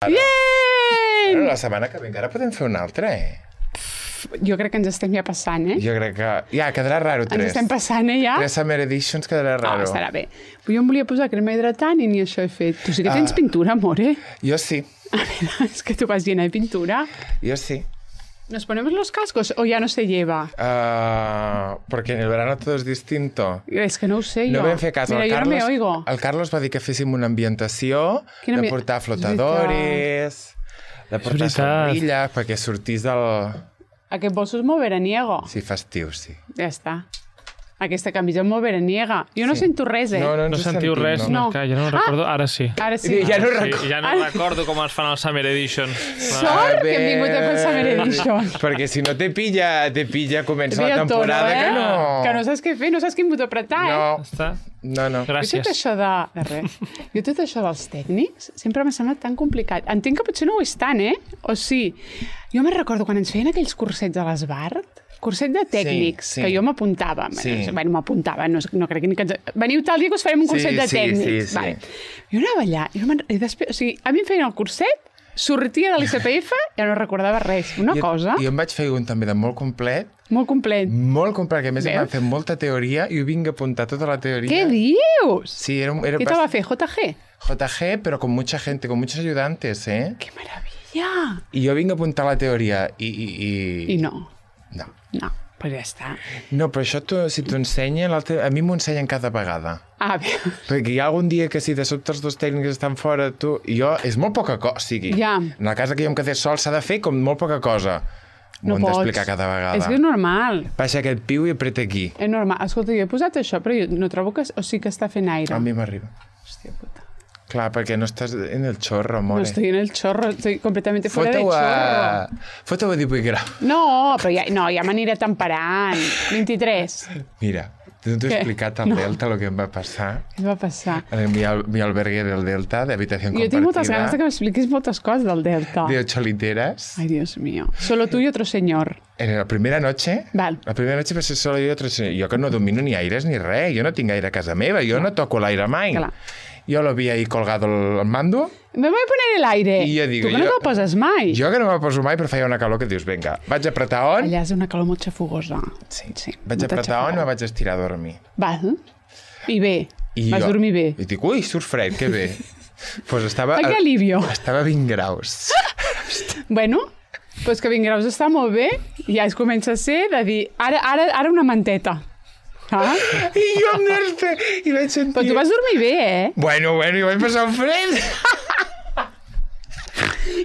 Bien! Bueno, la setmana que ve encara podem fer una altra, Jo crec que ens estem ja passant, Jo crec que... Ja, quedarà raro, 3. Ens estem passant, ja? 3 Summer Editions quedarà raro. No, estarà bé. Jo em volia posar crema hidratant i ni això he fet. Tu sí que tens pintura, amore? Jo sí. A veure, es que tu vas llena de pintura. Yo sí. ¿Nos ponemos los cascos o ya no se lleva? Porque en el verano todo es distinto. És que no ho sé, jo. No vam fer cas. Mira, jo no me oigo. El Carlos va dir que féssim una ambientació, de portar flotadores, de portar somrilles, perquè sortís del... Aquest bolso és molt veraniego. Sí, festiu, sí. Ja està. Aquesta camisa és molt veraniega. Jo no sento res, No sentiu res, no. Que ja no ho recordo. Ara sí. Ara sí. Ja no recordo. Ja no recordo com es fan els Summer Edition. Sort que hem vingut a fer el Summer Edition. Perquè si no te pilla, comença la temporada que no... Que no saps què fer, no saps quin botó apretar, No. Gràcies. Jo tot això de res. Jo tot això dels tècnics sempre m'ha semblat tan complicat. Entenc que potser no ho és tant, O sí. Jo me'n recordo quan ens feien aquells cursets a l'Esbart, curset de tècnics, que jo m'apuntava. Bueno, m'apuntava, no crec que... Veniu tal dia que us farem un curset de tècnics. Vale. Jo anava allà, i després, o sigui, a mi em feien el curset, sortia de l'ICPF i ja no recordava res. Una cosa... Jo em vaig fer un també de molt complet. Molt complet. Molt complet, que a més em van fer molta teoria i ho vinc a apuntar tota la teoria. Què dius? Sí, era ¿Qué te va a fer? ¿JG? JG, pero con mucha gente, con muchos ayudantes, ¡Qué maravilla! I jo vinc a apuntar la teoria i... I no. No, però ja està. No, però això si t'ho ensenya, a mi m'ho ensenyen cada vegada. Bé. Perquè hi ha algun dia que si de sobte els dos tècnics estan fora, és molt poca cosa, o sigui, en la casa que jo em quedé sol s'ha de fer com molt poca cosa. M'ho hem d'explicar cada vegada. És que és normal. Baixa aquest piu i apreta aquí. És normal. Escolta, jo he posat això, però jo no trobo que... O sigui que està fent aire. A mi m'arriba. Hòstia puta. Clar, perquè no estàs en el chorro, amore. No estoy en el chorro, estoy completamente fuera de chorro. Fota-ho a 18 graus. No, però ja m'aniré temperant. 23. Mira, no t'he explicat al Delta el que em va passar. Què va passar? En mi albergue del Delta, de habitación compartida. Jo tinc moltes ganes de que m'expliquis moltes coses del Delta. De 8 literas. Ay, Dios mío. Solo tú y otro señor. En la primera noche, va ser solo yo y otro señor. Jo que no domino ni aires ni res, jo no tinc aire a casa meva, jo no toco l'aire mai. Clar. Yo lo vi ahí colgado el mando. Me voy a poner el aire. I jo dic, tu que no te'l poses mai. Jo que no me'l poso mai, però feia una calor que dius, vinga, vaig apretar on... Allà és una calor molt xafugosa. Sí. Vaig apretar on i me vaig estirar a dormir. Val. I bé. Vas dormir bé. I dic, ui, surt fred, que bé. Pues estava... Que alivio. Estava a 20 graus. Bueno, pues que 20 graus està molt bé. Ja es comença a ser de dir, ara una manteta. I jo em nerfe, i vaig sentir... Però tu vas dormir bé, Bueno, i vaig passar un fred.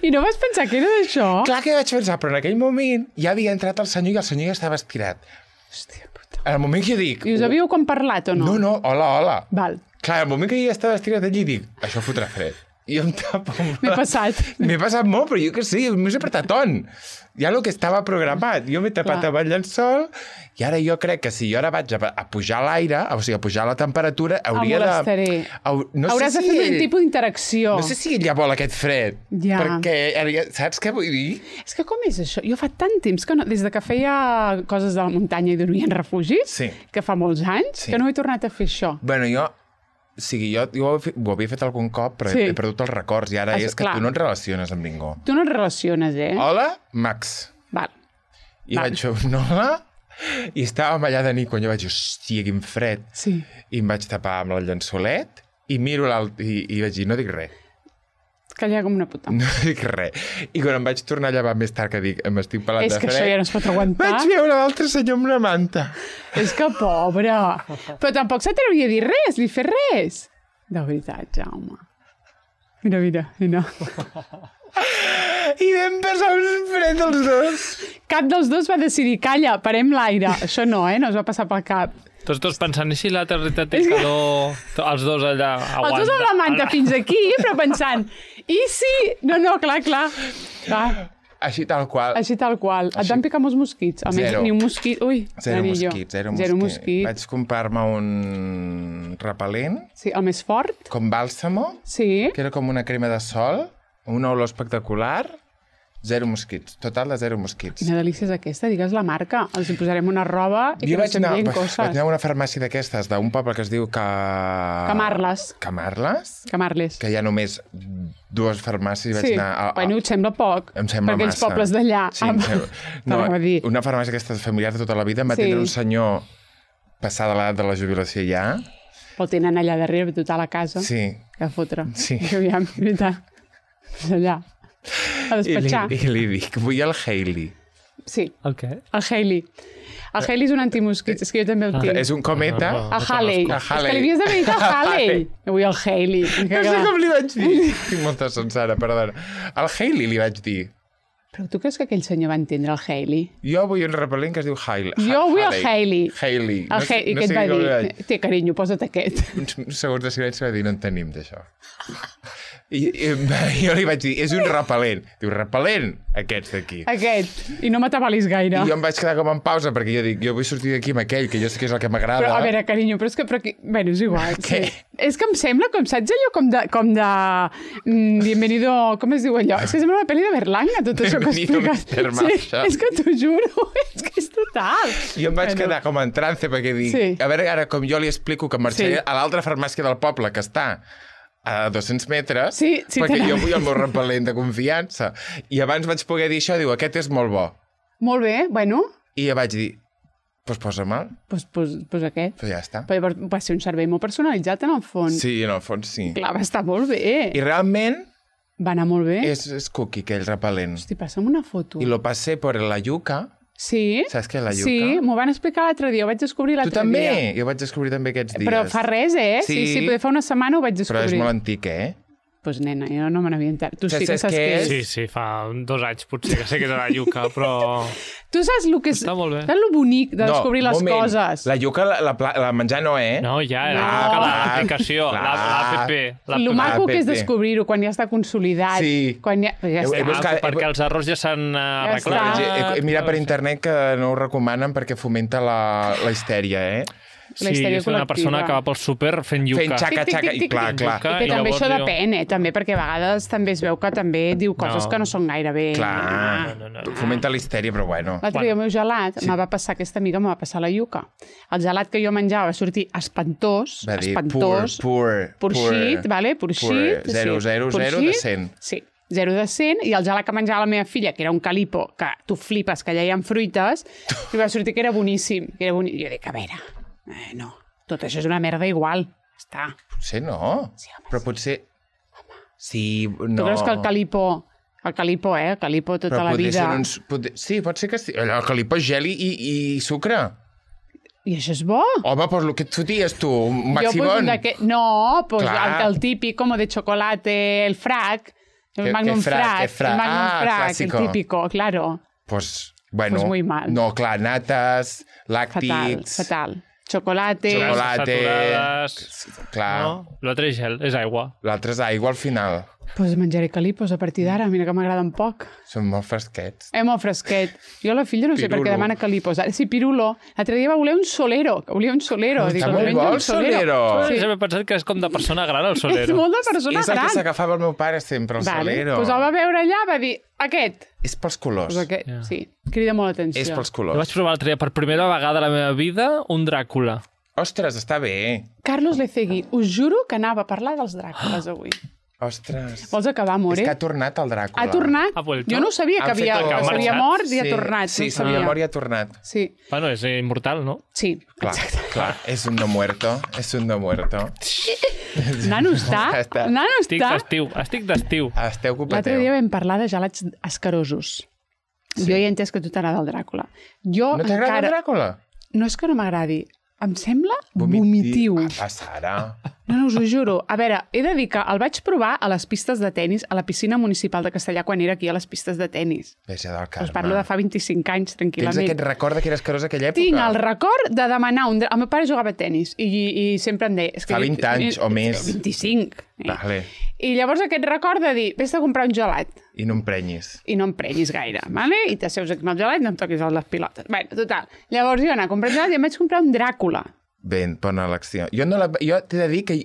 I no vas pensar que era d'això? Clar que vaig pensar, però en aquell moment ja havia entrat el senyor i el senyor ja estava estirat. Hòstia puta. En el moment que jo dic... I us havíeu com parlat o no? No, hola. Val. Clar, en el moment que jo ja estava estirat allí dic, això fotrà fred. I jo em tapo... M'he passat. M'he passat molt, però jo que sí, m'he apretat on. Ja el que estava programat. Jo m'he tapat amb el llençol i ara jo crec que si jo ara vaig a pujar l'aire, o sigui, a pujar la temperatura, hauria de... Hauràs de fer un tipus d'interacció. No sé si ella vol aquest fred. Ja. Perquè, saps què vull dir? És que com és això? Jo fa tant temps que no... Des de que feia coses de la muntanya i dormia en refugis, que fa molts anys, que no he tornat a fer això. Bueno, jo ho havia fet algun cop, però he perdut els records i ara és que tu no et relaciones amb ningú. Tu no et relaciones, Hola, Max. Val. I vaig fer un hola i estàvem allà de nit quan jo vaig dir, hòstia, quin fred. Sí. I em vaig tapar amb el llençolet i miro i vaig dir, no dic res. Callar com una puta. No dic res. I quan em vaig tornar a llevar més tard que dic, m'estic pelant de fred... És que això ja no es pot aguantar. Vaig veure l'altre senyor amb una manta. És que pobre. Però tampoc s'atrevia a dir res, ni fer res. De veritat, Jaume. Mira. I vam passar un fred els dos. Cap dels dos va decidir, calla, parem l'aire. Això no, no es va passar pel cap. Tots dos pensant, i si l'altre realitat té calor, els dos allà aguanta. Els dos amb la manta fins aquí, però pensant, i si... No, clar. Així tal qual. Et van picar molts mosquits? Almenys ni un mosquit... Ui, zero mosquits. Vaig comprar-me un repel·lent. Sí, el més fort. Com bàlsamo. Sí. Que era com una crema de sol, una olor espectacular. 0 mosquits. Total de 0 mosquits. Quina delícia és aquesta, digues la marca. Els hi posarem una roba i Jo que no vaig anar s'envien coses. a una farmàcia d'aquestes, d'un poble que es diu Camarles. Camarles? Que hi ha només 2 farmàcies i vaig anar... Bueno, et sembla poc. Em sembla per aquells massa. pobles d'allà. Sí, una farmàcia aquesta familiar de tota la vida em va tindre un senyor passada l'edat de la jubilació ja. El tenen allà darrere, total a casa. Sí. Que fotre. Sí. I aviam, veritat. Allà. A despatxar. I li dic, vull el Hailey. Sí. El què? El Hailey. El Hailey és un antimosquit, és que jo també el tinc. És un cometa. El Halley. És que li havies d'haver dit el Halley. Avui el Hailey. No sé com li vaig dir. Tinc molta sonsara, perdona. El Hailey li vaig dir. Però tu creus que aquell senyor va entendre el Hailey? Jo vull un repel·lent que es diu Hailey. Jo vull el Hailey. Hailey. I què et va dir? Té, carinyo, posa't aquest. Uns segons de silenci va dir, no en tenim d'això. I jo li vaig dir, és un repel·lent. Diu, repel·lent, aquests d'aquí. Aquest. I no m'atabalis gaire. I jo em vaig quedar com en pausa, perquè jo dic, jo vull sortir d'aquí amb aquell, que jo sé que és el que m'agrada. Però, a veure, carinyo, però és que... Bueno, és igual. Sí. És que em sembla, com saps allò, com de Bienvenido... Com es diu allò? És que sembla una pel·li de Berlanga, tot això que expliques. Sí, és que t'ho juro, és que és total. Jo em vaig quedar com en trance, perquè dic, a veure, ara com jo li explico que marxaré a l'altra farmàcia del poble, que està a 200 metres, perquè jo vull el meu repel·lent de confiança. I abans vaig poder dir això, diu, aquest és molt bo. Molt bé, bueno. I jo vaig dir, doncs posa-me'l. Doncs aquest. Però ja està. Però va ser un servei molt personalitzat, en el fons. Sí, en el fons sí. Clar, va estar molt bé. I realment... Va anar molt bé. És cookie, aquell repel·lent. Hosti, passa'm una foto. I lo passé per la yuca. Sí. Saps què és la yuca? Sí, m'ho van explicar l'altre dia, ho vaig descobrir l'altre dia. Tu també? Jo vaig descobrir també aquests dies. Però fa res, Sí, potser fa una setmana ho vaig descobrir. Però és molt antic, Doncs nena, jo no me n'havia enterat. Tu sí que saps què és? Sí, fa 2 anys potser que sé que és la yuca, però... Tu saps el que és... Està molt bé. Saps el bonic de descobrir les coses? La yuca, la menjar no, No, ja, l'aplicació, l'app. El maco que és descobrir-ho quan ja està consolidat. Sí. Perquè els errors ja s'han arreglat. He mirat per internet que no ho recomanen perquè fomenta la histèria, Sí, és una persona que va pel súper fent yuca. Fent xaca-xaca, i clar. I que també això depèn, també, perquè a vegades també es veu que també diu coses que no són gaire bé. Clar, fomenta la histèria, però bueno. L'altre dia el meu gelat me va passar, aquesta amiga me va passar la yuca. El gelat que jo menjava va sortir espantós, va dir, purxit, vale? Purxit. 0, 0, 0 de 100. Sí. 0 de 100, i el gelat que menjava la meva filla, que era un calipo, que tu flipes, que allà hi ha fruites, i va sortir que era boníssim. Jo dic, a veure, no, tot això és una merda igual. Està. Potser no, però potser... Sí, no. Tu creus que el calipo, el calipo tota la vida... Sí, pot ser que sí. El calipo és gel i sucre. I això és bo? Home, doncs el que et foties tu, un maximón. No, el típic, com de chocolate, el frac, el magnum frac, el típico, claro. Pues, bueno, muy mal. No, clar, nates, làctics... Fatal. Chocolate... Clar. No, l'altre és gel, és aigua. L'altre és aigua al final. Doncs menjaré calipos a partir d'ara, mira que m'agraden poc. Són molt fresquets. Molt fresquet. Jo la filla no sé per què demana calipos. Sí, pirulo. L'altre dia va voler un solero. Està molt bo el solero. Sí. He pensat que és com de persona gran, el solero. És molt de persona gran. És el que s'agafava el meu pare sempre, el solero. Doncs el va veure allà, va dir, aquest. És pels colors. Sí, crida molt l'atenció. És pels colors. Jo vaig provar l'altre dia per primera vegada a la meva vida un Dràcula. Ostres, està bé. Carlos Lecegui, us juro que anava a parlar dels Dràcules avui. Ostres. Vols acabar, amore? És que ha tornat el Dràcula. Ha tornat? Jo no sabia que s'havia mort i ha tornat. Sí, s'havia mort i ha tornat. Sí. Bueno, és immortal, no? Sí, clar. És un no muerto. Nano està. Estic d'estiu. Esteu ocupateu. L'altre dia vam parlar de gelats escarosos. Jo ja he entès que a tu t'agrada el Dràcula. No t'agrada el Dràcula? No és que no m'agradi. Em sembla vomitiu. Sara. No, us ho juro. A veure, he de dir que el vaig provar a les pistes de tennis, a la piscina municipal de Castellà, quan era aquí a les pistes de tennis. Veja del Carme. Us parlo de fa 25 anys, tranquil·lament. Tens aquest record que era escarós aquella època? Tinc el record de demanar un... El meu pare jugava a tennis i sempre em deia... Fa 20 anys o més. 25. Vale. I llavors aquest record de dir, vés a comprar un gelat. I no emprenyis. I no emprenyis gaire, vale? I t'asseus aquí amb el gelat i no em toquis les pilotes. Bé, total. Llavors jo anar a comprar gelat i em vaig comprar un Dràcula. Ben, bona elecció. Jo t'he de dir que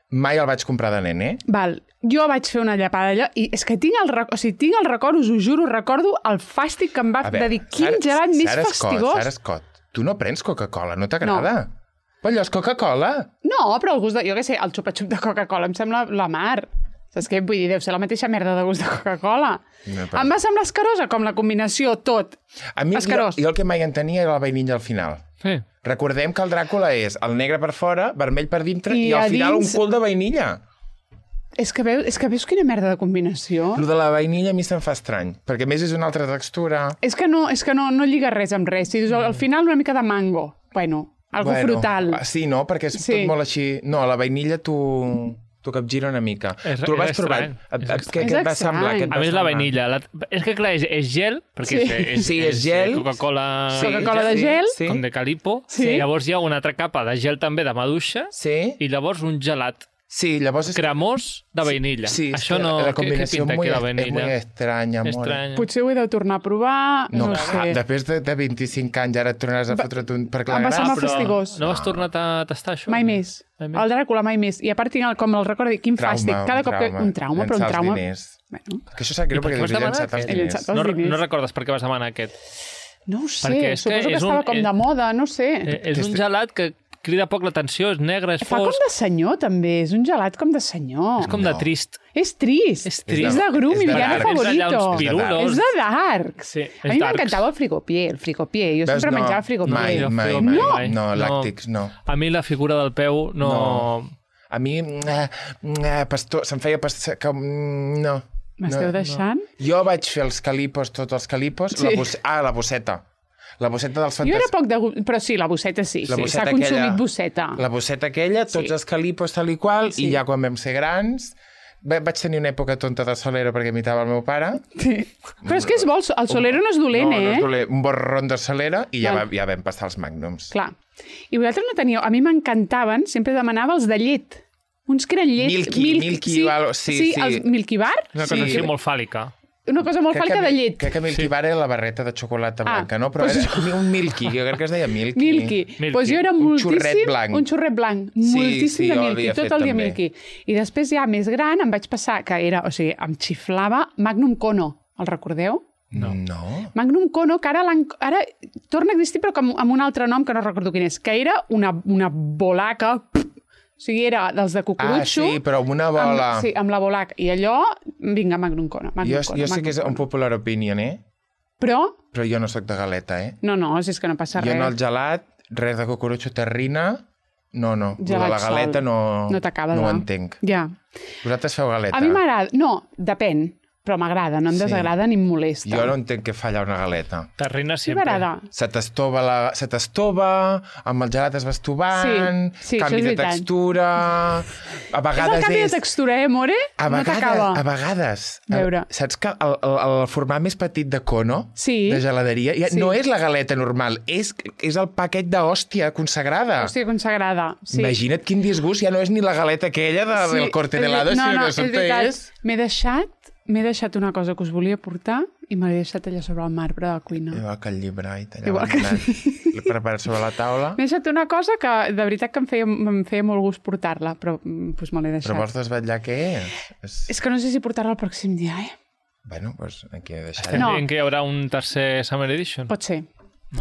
Mai el vaig comprar de nen, Val. Jo vaig fer una llapada allò i és que tinc el record, us ho juro, recordo el fàstic que em va de dir quin gelat més fastigós. Sara Scott, tu no prens Coca-Cola, no t'agrada? No. Però allò és Coca-Cola. No, però el gust de... Jo què sé, el xupa-xup de Coca-Cola em sembla la mar. Saps què? Vull dir, deu ser la mateixa merda de gust de Coca-Cola. No, però... Em va semblar escarosa, com la combinació, tot. A mi, jo el que mai entenia era la vainilla al final. Sí. Recordem que el Dràcula és el negre per fora, vermell per dintre i al final un cul de vainilla. És que veus quina merda de combinació? Lo de la vainilla a mi se'm fa estrany, perquè a més és una altra textura. És que no lliga res amb res. Si dius, al final una mica de mango. Bueno, algo frutal. Sí, no? Perquè és tot molt així... No, la vainilla t'ho capgira una mica. Tu el vas provar? Què et va semblar? A més, la vainilla... És que, clar, és gel, perquè és gel. Coca-Cola de gel. Com de Calipo. Llavors hi ha una altra capa de gel també de maduixa. I llavors un gelat. Sí, llavors... Cremós de vainilla. Sí, això no... La combinació és molt estranya. Potser ho he de tornar a provar, no sé. Després de 25 anys ara et tornaràs a fotre per clar. Em va semblar fastigós. No has tornat a tastar això? Mai més. El Dràcula mai més. I a part, com el recordo, quin fàstic. Cada cop que... Un trauma, però un trauma... Que això sap greu perquè deus llançat els diners. No recordes per què vas demanar aquest? No ho sé, suposo que estava com de moda, no sé. És un gelat que crida poc l'atenció, és negre, és fosc. Fa com de senyor, també. És un gelat com de senyor. És com de trist. És trist. És de Gru, mi villano favorito. És de dark. A mi m'encantava el frigopié. Jo sempre menjava frigopié. Mai. No, làctics, no. A mi la figura del peu no... A mi, se'm feia pastor... No. M'esteu deixant? Jo vaig fer els calipos, tots els calipos. La bosseta. La bosseta dels fantasmes. Jo era poc de... Però sí, la bosseta sí. S'ha consumit bosseta. La bosseta aquella, tots els calipos tal i qual, i ja quan vam ser grans... Vaig tenir una època tonta de Solero perquè imitava el meu pare. Sí. Però és que és bo, el Solero no és dolent, No és dolent. Un borrón de Solera i ja vam passar els Magnums. Clar. I vosaltres no teníeu... A mi m'encantaven, sempre demanava els de llet. Uns que eren llet... Milky. Sí, els Milky Bar. Una cosa així molt fàl·lica. Una cosa molt fàlica de llet. Crec que Milky Bar era la barreta de xocolata blanca, no? Però era un Milky, jo crec que es deia Milky. Milky. Doncs jo era moltíssim... Un xurret blanc. Moltíssim de Milky, tot el dia Milky. I després ja més gran em vaig passar, que era, o sigui, em xiflava Magnum Kono. El recordeu? No. Magnum Kono, que ara torna a existir, però amb un altre nom que no recordo quin és, que era una bolaca... O sigui, era dels de cucurutxo... sí, però amb una bola... Sí, amb la bolaca. I allò, vinga, Magnum Kono. Jo sé que és un popular opinion, Però jo no sóc de galeta, No, si és que no passa res. Jo en el gelat, res de cucurutxo terrina... No. La galeta no ho entenc. Ja. Vosaltres feu galeta? A mi m'agrada... No, depèn. Però m'agrada, no em desagrada ni em molesta. Jo no entenc què falla una galeta. Terrina sempre. Se t'estova, amb el gelat es va estovant, canvi de textura... A vegades és el canvi de textura, more? No t'acaba. A vegades. Saps que el format més petit de cono, de geladeria, no és la galeta normal, és el paquet d'hòstia consagrada. Hòstia consagrada, sí. Imagina't quin disgust, ja no és ni la galeta aquella del corte de helado, sinó que sota és... M'he deixat una cosa que us volia portar i me l'he deixat allà sobre el marbre de la cuina. Igual que el llibre, l'he preparat sobre la taula. M'he deixat una cosa que de veritat que em feia molt gust portar-la, però pues me l'he deixat. Però vols desvetllar què és? És que no sé si portar-la el pròxim dia, Bueno, pues aquí he deixat. Estem dient que hi haurà un tercer Summer Edition? Pot ser.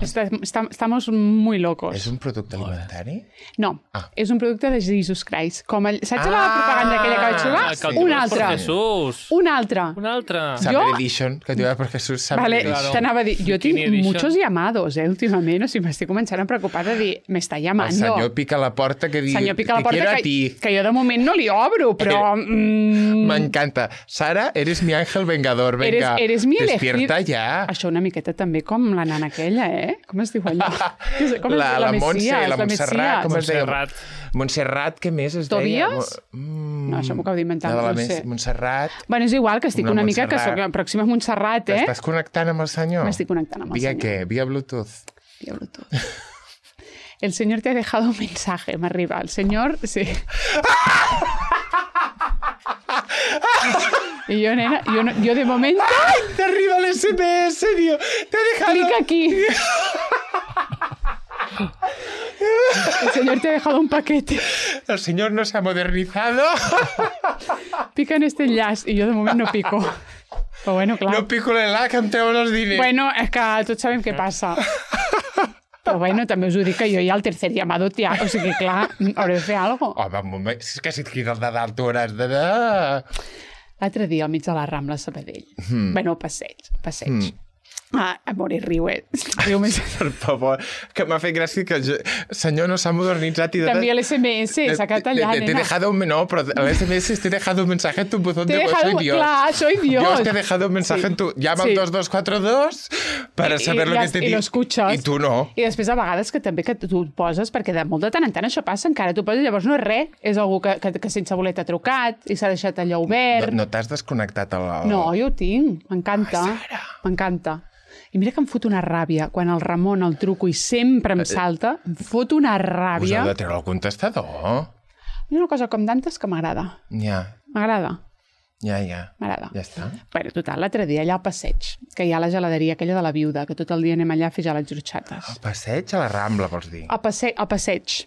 Estamos muy locos. És un producte alimentari? No, és un producte de Jesus Christ. Saps la propaganda aquella que vaig trobar? Un altre. Summer Edition, que diu per Jesús Summer Edition. T'anava a dir, jo tinc muchos llamados, últimament, o sigui, m'estic començant a preocupar de dir, m'està llamando. El senyor pica la porta que diu, te quiero a ti. Que jo de moment no li obro, però... M'encanta. Sara, eres mi ángel vengador, venga, despierta ja. Això una miqueta també com la nana aquella, Com es diu allò? La Montse, la Montserrat, com es deia? Montserrat, què més es deia? Tobias? No, això m'ho acabo d'inventar, no sé. Montserrat. Bueno, és igual, que estic una mica, que soc la pròxima Montserrat, T'estàs connectant amb el senyor? M'estic connectant amb el senyor. Via què? Via Bluetooth? Via Bluetooth. El señor te ha dejado un mensaje, m'arriba. El señor, sí. Y yo, nena, yo de momento... ¡Ay! Te arriba el SMS, tío. Te ha dejado... Clic aquí. El señor te ha dejado un paquete. El señor no se ha modernizado. Pica en este enllaç. I jo de moment no pico. Però bueno, clar. No pico l'enllaç que em treuen els diners. Bueno, és que tots sabem què passa. Però bueno, també us ho dic que jo ja el tercer llamado ja, o sigui, clar, hauré de fer alguna cosa. Home, un moment, és que si et quines de d'altures de... L'altre dia, al mig de la Rambla Sabadell. Bueno, passeig. Amor, riu més. Per favor, que m'ha fet gràcia que el senyor no s'ha modernitzat i... També l'SMS, s'ha quedat allà, nena. Te he dejado un... No, però l'SMS te he dejado un mensaje en tu buzón de voz, soy Dios. Clar, soy Dios. Yo te he dejado un mensaje en tu... Llama al 2242 para saber lo que te dic. I lo escuchas. I tu no. I després, a vegades, que també que tu et poses, perquè de molt de tant en tant això passa, encara tu poses, llavors no és res, és algú que sense voler t'ha trucat i s'ha deixat allò obert. No t'has desconnectat el... No, jo ho tinc, m'encanta. I mira que em fot una ràbia quan el Ramon el truco i sempre em salta, em fot una ràbia. Us heu de treure el contestador. Hi ha una cosa com d'antes que m'agrada. Ja. M'agrada. Ja. M'agrada. Ja està. Bueno, total, l'altre dia allà al passeig, que hi ha la geladeria aquella de la viuda, que tot el dia anem allà a fer gelats horxates. Al passeig a la Rambla, vols dir? A passeig.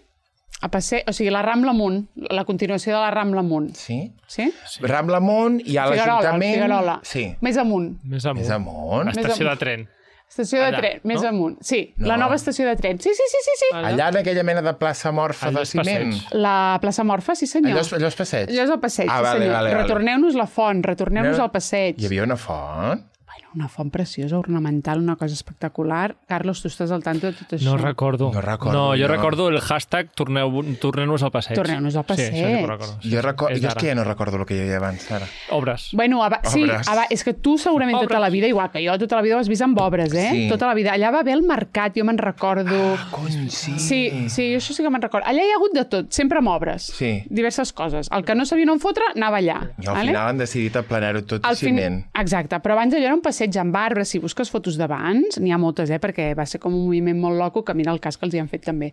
O sigui, la Rambla amunt, la continuació de la Rambla amunt. Sí? Sí? Rambla amunt i a l'Ajuntament... Figuerola. Sí. Més amunt. Estació de tren. Estació de tren, més amunt. Sí, la nova estació de tren. Sí. Allà en aquella mena de plaça morfa de ciment. La plaça morfa, sí senyor. Allò és passeig? Allò és el passeig, sí senyor. Retorneu-nos la font, retorneu-nos al passeig. Hi havia una font? Una font preciosa, ornamental, una cosa espectacular. Carlos, tu estàs al tanto de tot això? No recordo. No, jo recordo el hashtag torneu-nos al passeig. Torneu-nos al passeig. Sí, això sí que ho recordo. Jo és que ja no recordo el que hi havia abans, ara. Obres. Bueno, sí, és que tu segurament tota la vida, igual que jo, tota la vida ho has vist amb obres, eh? Sí. Tota la vida. Allà va haver el mercat, jo me'n recordo. Cony, sí. Sí, això sí que me'n recordo. Allà hi ha hagut de tot, sempre amb obres. Sí. Diverses coses. El que no sabien on fotre, anava allà. I al final han decidit aplanar-ho tot de ciment. Exacte, però abans allò era un passeig amb arbres. Si busques fotos d'abans, n'hi ha moltes, perquè va ser com un moviment molt loco, que mira el cas que els hi han fet també.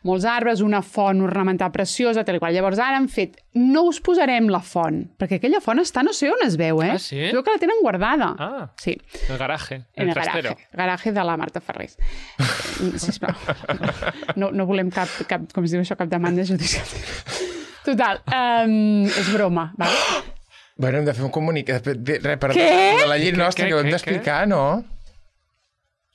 Molts arbres, una font ornamental preciosa, tal i qual. Llavors ara han fet, no us posarem la font, perquè aquella font està, no sé on es veu, Ah, sí? Es veu que la tenen guardada. Ah, sí. El garaje, el trastero. Garaje de la Marta Ferrés. Sisplau. No volem cap, com es diu això, cap demanda judicial. Total, és broma, val? Bueno, hem de fer un comunicat. De la llei nostra, que ho hem d'explicar, no?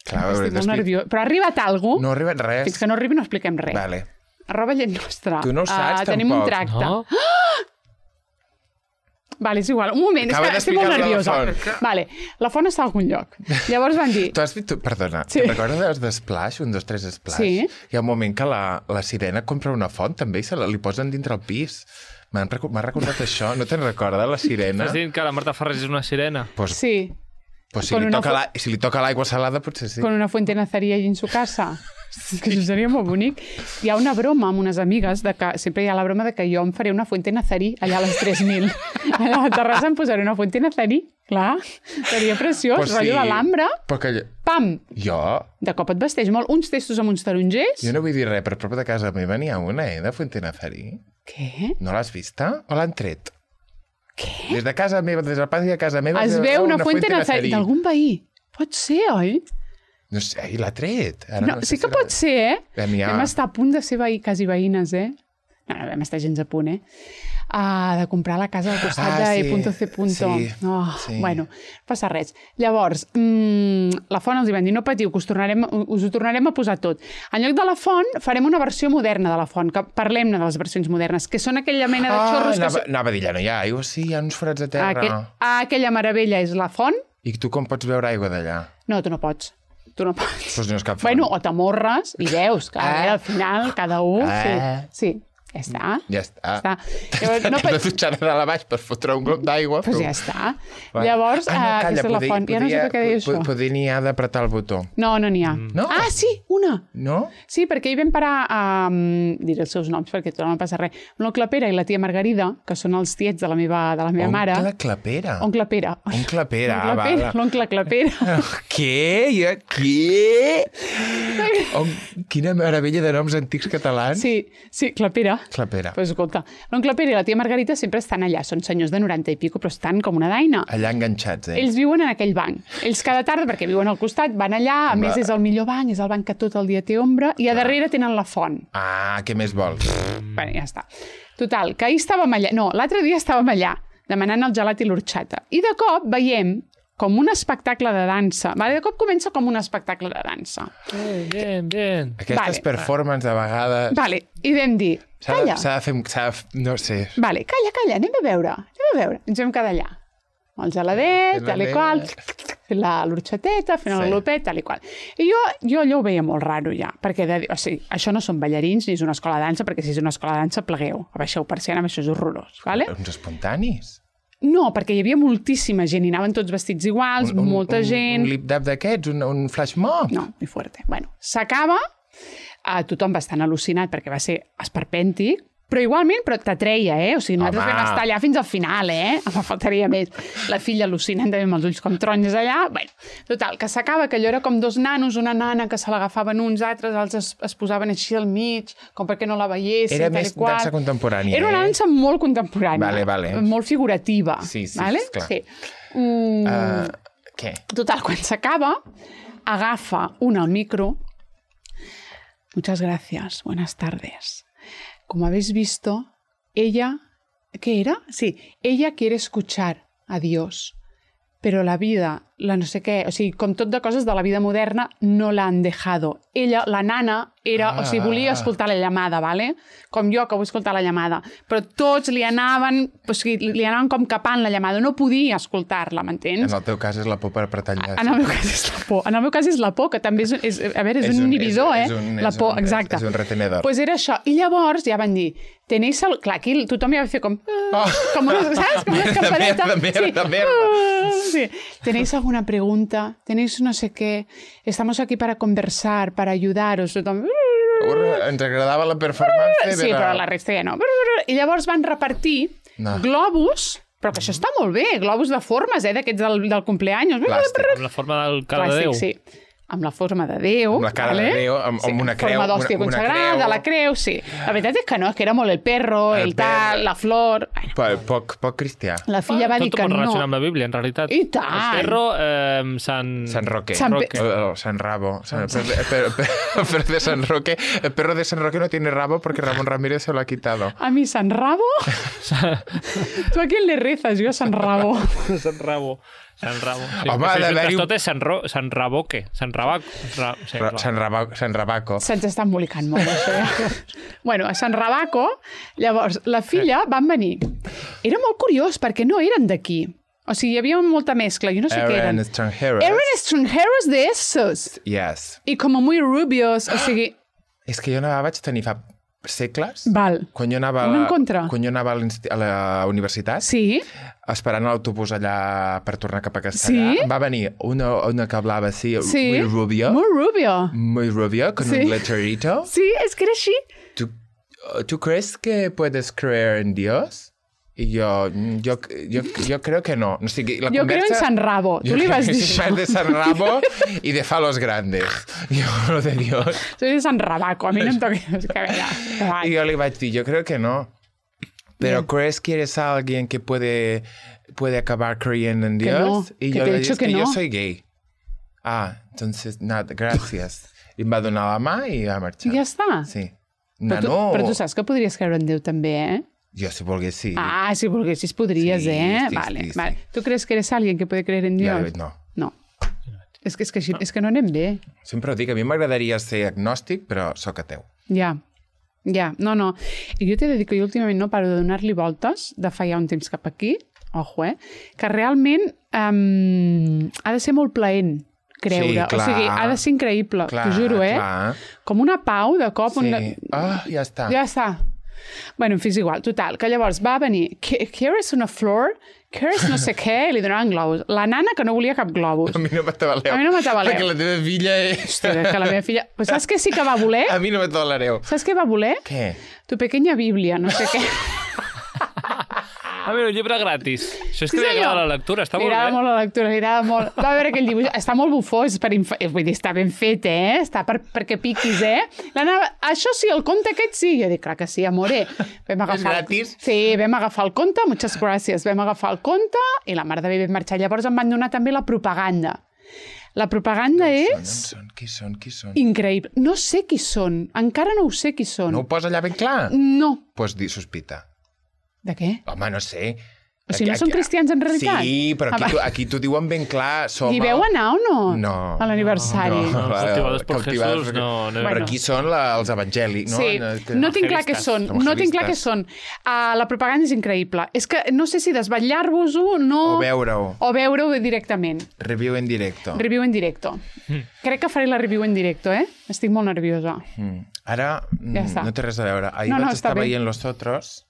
Clar, estic molt nerviós. Però ha arribat alguna cosa? No ha arribat res. Fins que no arribi no expliquem res. Vale. Arroba llei nostra. Tu no ho saps, tampoc. Tenim un tracte. No? Vale, és igual. Un moment, estic molt nerviosa. Vale, la font està a algun lloc. Llavors van dir... Perdona, te'n recordes d'Splash, 1, 2, 3 Splash? Sí. Hi ha un moment que la sirena compra una font també i li posen dintre el pis. M'ha recordat això. No te'n recordes, la sirena? Estàs dient que la Marta Ferrés és una sirena? Sí. Pues si li toca l'aigua salada, potser sí. Con una fuente nazarí allí en su casa. Sí. Que això seria molt bonic. Hi ha una broma amb unes amigues, sempre hi ha la broma de que jo em faré una fuente nazarí allà a les 3.000. A la Terrassa em posaré una fuente nazarí. Clar, seria preciós. Pues rotllo de l'ambra. Pam! Jo? De cop et vesteix molt. Uns testos amb uns tarongers. Jo no vull dir res, però a prop de casa meva n'hi ha una, de fuente nazarí. Què? No l'has vista? O l'han tret? Què? Des de casa meva, des del pati de casa meva... Es veu una fuente nazarí d'algun veí. Pot ser, oi? No sé, l'ha tret. No, sí que pot ser, eh? Vam estar a punt de ser quasi veïnes, eh? No, vam estar gens a punt, eh? De comprar la casa al costat de E.C. Bueno, no passa res. Llavors, la font els hi van dir, no patiu, que us ho tornarem a posar tot. En lloc de la font, farem una versió moderna de la font, que parlem-ne de les versions modernes, que són aquella mena de xorros... Anava a dir, ja no hi ha aigua, sí, hi ha uns forats de terra. Aquella meravella és la font. I tu com pots veure aigua d'allà? No, tu no pots. Tu no pots. Pues no és cap font. Bueno, o t'amorres i veus que al final cada un... Sí. Ja està. No de dutxar de dalt a baix per fotre un glob d'aigua. Doncs ja està. Llavors, aquesta és la font. Ja no sé què deia això. Potser n'hi ha d'apretar el botó. No n'hi ha. Ah, sí, una. No? Sí, perquè hi vam parar a... diré els seus noms perquè tot no passa res. L'oncle Pere i la tia Margarida, que són els tiets de la meva mare. Oncle Clapera? Oncle Pere. Oncle Pere, l'oncle Clapera. Què? Quina meravella de noms antics catalans. Sí, Clapera. Clapera. Pues escolta, l'oncle Pere i la tia Margarita sempre estan allà. Són senyors de 90 i pico, però estan com una daina. Allà enganxats, Ells viuen en aquell banc. Ells cada tarda, perquè viuen al costat, van allà, a més és el millor banc, és el banc que tot el dia té ombra, i a darrere tenen la font. Ah, què més vols? Bé, ja està. Total, que ahir estàvem allà... No, l'altre dia estàvem allà, demanant el gelat i l'orxata. I de cop veiem com un espectacle de dansa. De cop comença com un espectacle de dansa. Bien. Aquestes performances, de vegades... Vale, i vam dir, calla. S'ha de fer... No sé. Vale, calla, anem a veure. Ens vam quedar allà. El geladet, tal i qual, fent l'orxateta, fent el glopet, tal i qual. I jo allò ho veia molt raro ja, perquè o sigui, això no són ballarins ni és una escola de dansa, perquè si és una escola de dansa, plegueu. Abaixeu persiana, això és horrorós. Vale? Uns espontanis? No, perquè hi havia moltíssima gent, i anaven tots vestits iguals, molta gent... Un lip-dap d'aquests, un flash mob? No, ni fuerte. Bueno, s'acaba, tothom va estar al·lucinat perquè va ser esperpèntic, però igualment t'atreia, O sigui, nosaltres vam estar allà fins al final, Em faltaria més. La filla al·lucinant també amb els ulls com taronges allà. Bueno, total, que s'acaba, que allò era com dos nanos, una nana que se l'agafaven uns altres, els es posaven així al mig, com perquè no la veiessin, tal i qual. Era més dansa contemporània, Era una dansa molt contemporània. Vale. Molt figurativa. Sí, vale? Esclar. Sí. Què? Total, quan s'acaba, agafa un al micro. Muchas gracias, buenas tardes. Como habéis visto, ella... ¿Qué era? Sí, ella quiere escuchar a Dios, pero la vida, la no sé què, o sigui, com tot de coses de la vida moderna, no l'han dejado. Ella, la nana, o sigui, volia escoltar la llamada, ¿vale? Com jo, que vull escoltar la llamada. Però tots li anaven com capant la llamada. No podia escoltar-la, m'entens? En el teu cas és la por per apretar enllaços. En el meu cas és la por. En el meu cas és la por, que també és un inhibidor, És por, exacte. És un retenedor. Pues era això. I llavors ja van dir, tenéis... Clar, aquí tothom ja va fer com... Com una, ¿sabes? Com una campaneta. De merda. Sí. ¿Tenéis alguna pregunta? ¿Tenéis no sé qué? Estamos aquí para conversar, para ayudaros. Ens agradava la performance. Sí, però la resta ja no. I llavors van repartir globus, però que això està molt bé, globus de formes, d'aquests del cumpleaños. Plàstic, amb la forma del cara de Déu. Sí. Amb la forma de Déu. Amb la cara de Déu, amb una creu. Forma d'hòstia consagrada, la creu, sí. La veritat és que no, és que era molt el perro, el tal, la flor... Poc cristià. La filla va dir que no. Tot molt relacionat amb la Bíblia, en realitat. I tant! El perro, Sant Roque. Sant Rabo. Pero de San Roque. El perro de San Roque no tiene rabo porque Ramón Ramírez se lo ha quitado. A mi San Rabo? ¿Tú a quién le rezas? Jo a San Rabo. Sant Rabo. Sant Rabo. Sí, home, ha d'haver-hi... Tot és Sant Raboque. Sant Rabaco. Sant Rabaco. Se'ns està embolicant molt, això. Bueno, a Sant Rabaco, llavors, la filla van venir. Era molt curiós, perquè no eren d'aquí. O sigui, hi havia molta mescla, jo no sé què eren. Eren extranjeros de esos. Yes. I com muy rubios, o sigui... És que jo no vaig tenir fa segles. Val. Quan jo anava a la universitat, sí, esperant l'autobús allà per tornar cap a Castellà, va venir una que hablava así, muy rubio. Muy rubio, con un lecherito. Sí, es que era així. ¿Tú crees que puedes creer en Dios? Y yo creo que no. O sigui, la yo creo en San Rabo. Tú le vas a decir. De San Rabo y de falos grandes. Yo lo de Dios. Soy de San Rabaco. A mí no me toques. Y yo le iba a decir, yo creo que no. Pero ¿crees que eres alguien que puede acabar creyendo en Dios? No, y yo le dije que yo soy gay. Ah, entonces, nada, gracias. I em va donar la mà i va marxar. I ja està? Sí. Però tu saps que podries creure en Déu també, Jo, si volgués, sí. Ah, si volguessis, podries, sí, vale, vale. ¿Tú crees que eres alguien que puede creer en Dios? No. No. És que no anem bé. Sempre ho dic, a mi m'agradaria ser agnòstic, però sóc ateu. Ja, no. I jo t'he de dir que jo últimament no paro de donar-li voltes, de fa ja un temps cap aquí, ojo, que realment ha de ser molt plaent creure. Sí, clar, o sigui, ha de ser increïble, t'ho juro, Clar. Com una pau de cop. Sí. Ja està. Ja està. Bueno, en fi, és igual. Total, que llavors va venir, ¿quieres una flor? ¿Quieres no sé què? I li donaven globus. La nana que no volia cap globus. A mi no m'atabaleu. A mi no m'atabaleu. Perquè la teva filla és... Hòstia, que la meva filla... Però saps què sí que va voler? A mi no m'atabalareu. Saps què va voler? Què? Tu pequeña Bíblia, no sé què. A veure, un llibre gratis. Això és que li agrada la lectura, està molt bé. Li agrada molt la lectura, li agrada molt. Va veure aquell dibuix, està molt bufós, vull dir, està ben fet, Està perquè piquis, Això sí, el conte aquest sí. Jo dic, clar que sí, amore. És gratis? Sí, vam agafar el conte, muchas gràcies, vam agafar el conte i la mare de bé vam marxar. Llavors em van donar també la propaganda. La propaganda és... Qui són? Increïble. No sé qui són. Encara no ho sé qui són. No ho posa allà ben clar? No. Doncs sospita. De què? Home, no sé. O sigui, no són cristians en realitat? Sí, però aquí t'ho diuen ben clar. Hi veu anar o no? No. A l'aniversari. No, cautivados por Jesús, no. Però aquí són els evangèlics, no? Sí, no tinc clar què són. No tinc clar què són. La propaganda és increïble. És que no sé si desvetllar-vos-ho, no... O veure-ho. O veure-ho directament. Review en directo. Review en directo. Crec que faré la review en directo, Estic molt nerviosa. Ara, no té res a veure. Ahir vaig estar veient Los Otros.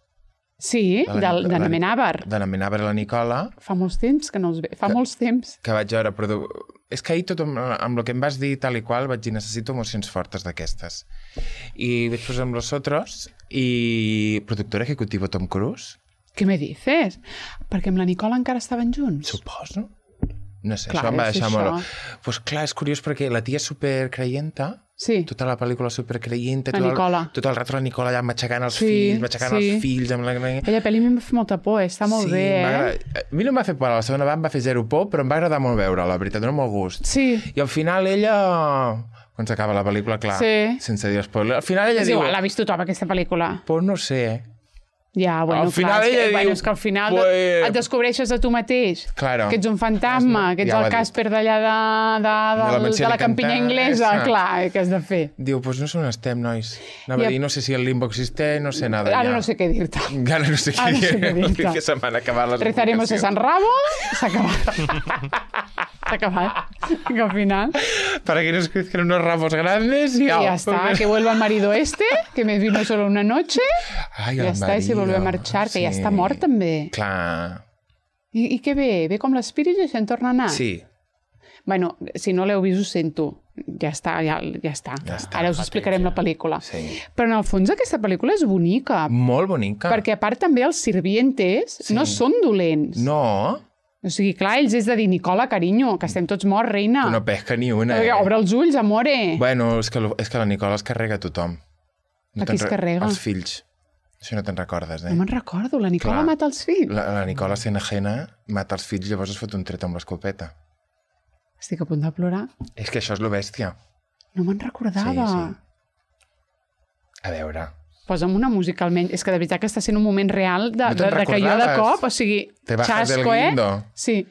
Sí, de Namenàver. De Namenàver a la Nicola. Fa molts temps que no els ve. Fa molts temps. Que vaig veure, però... És que ahir tot amb el que em vas dir tal i qual vaig dir necessito emocions fortes d'aquestes. I vaig posar amb Los Otros i productor ejecutivo Tom Cruise. Què me dices? Perquè amb la Nicola encara estaven junts? Suposo. No sé, clar, això em va deixar molt... Pues clar, és curiós perquè la tia és supercreienta. Sí. Tota la pel·lícula supercreienta. La Nicola. Tot el rato la Nicola allà matxacant els fills, els fills... Amb la... Aquella pel·li a mi em va fer molta por, està molt bé, A mi no em va fer por, la segona em va fer zero por, però em va agradar molt veure, la veritat, dona molt gust. Sí. I al final ella... Quan s'acaba la pel·lícula, clar, sense dir spoiler, al final ella diu... L'ha vist tothom, aquesta pel·lícula. Pues no sé, Ja, bueno, al final clar, ella diu... És que al final et descobreixes a tu mateix, que ets un fantasma, que ets el Casper d'allà de la campinya inglesa, clar, què has de fer? Diu, doncs no sé on estem, nois. Anava a dir, no sé si el limbo existeix, no sé nada. Ara no sé què dir-te. Ara no sé què dir-te. Que se m'han acabat les Rezaremos a San Rabo, s'ha acabat. S'ha acabat. Que al final... Para que nos crezcan unos ramos grandes y... Ya está, que vuelva el marido que me vino solo una noche. Ai, ja està, i se volvió a marxar, que ja està mort també. Clar. I què ve? Ve com l'espírit i se'n torna a anar? Sí. Bueno, si no l'heu vist ho sento. Ja està. Ara us explicarem la pel·lícula. Sí. Però en el fons aquesta pel·lícula és bonica. Molt bonica. Perquè a part també els sirvientes no són dolents. No. O sigui, clar, ells és de dir, Nicola, carinyo, que estem tots morts, reina. Tu no pesca ni una, Obre els ulls, amore. Bueno, és que la Nicola es carrega a tothom. A qui es carrega? Els fills. Això no te'n recordes, No me'n recordo, la Nicola mata els fills. La Nicola sent ajena mata els fills, llavors es fot un tret amb l'escopeta. Estic a punt de plorar. És que això és lo bèstia. No me'n recordava. Sí. A veure... Posa'm una música almenys. És que de veritat que està sent un moment real de que jo de cop, o sigui, te bajas del guindo. Sí.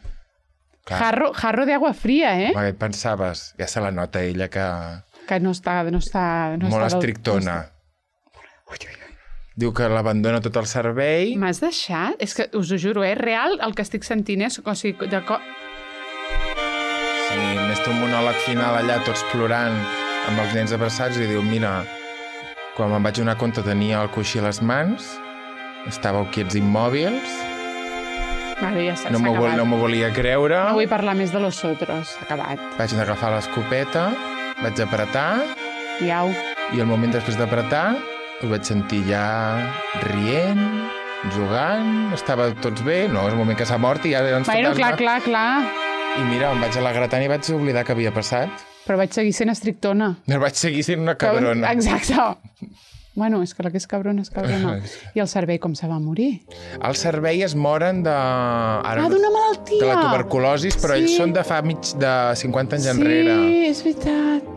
Jarro de agua fría, Què pensaves? Ja se la nota ella que... Que no està molt estrictona. Diu que l'abandona tot el servei. M'has deixat? És que us ho juro, real el que estic sentint és... O sigui, Sí, més té un monòleg final allà, tots plorant, amb els nens abraçats, i diu, mira, quan me'n vaig donar compte tenia el coixí a les mans, estàveu quiets immòbils, vale, ja s'ha no m'ho volia creure. No vull parlar més de Los Otros, s'ha acabat. Vaig agafar l'escopeta, vaig apretar, i al moment després d'apretar el vaig sentir ja rient, jugant, estava tots bé, no, és el moment que s'ha mort i ja ens fantasma. Clar. I mira, em vaig alegrar tant i vaig oblidar que havia passat. Però vaig seguir sent estrictona. Vaig seguir sent una cabrona. Exacte. Bueno, és que la que és cabrona és cabrona. I el servei com se va morir? El servei es moren de... d'una malaltia! De la tuberculosis, però ells són de fa de 50 anys enrere. Sí, és veritat.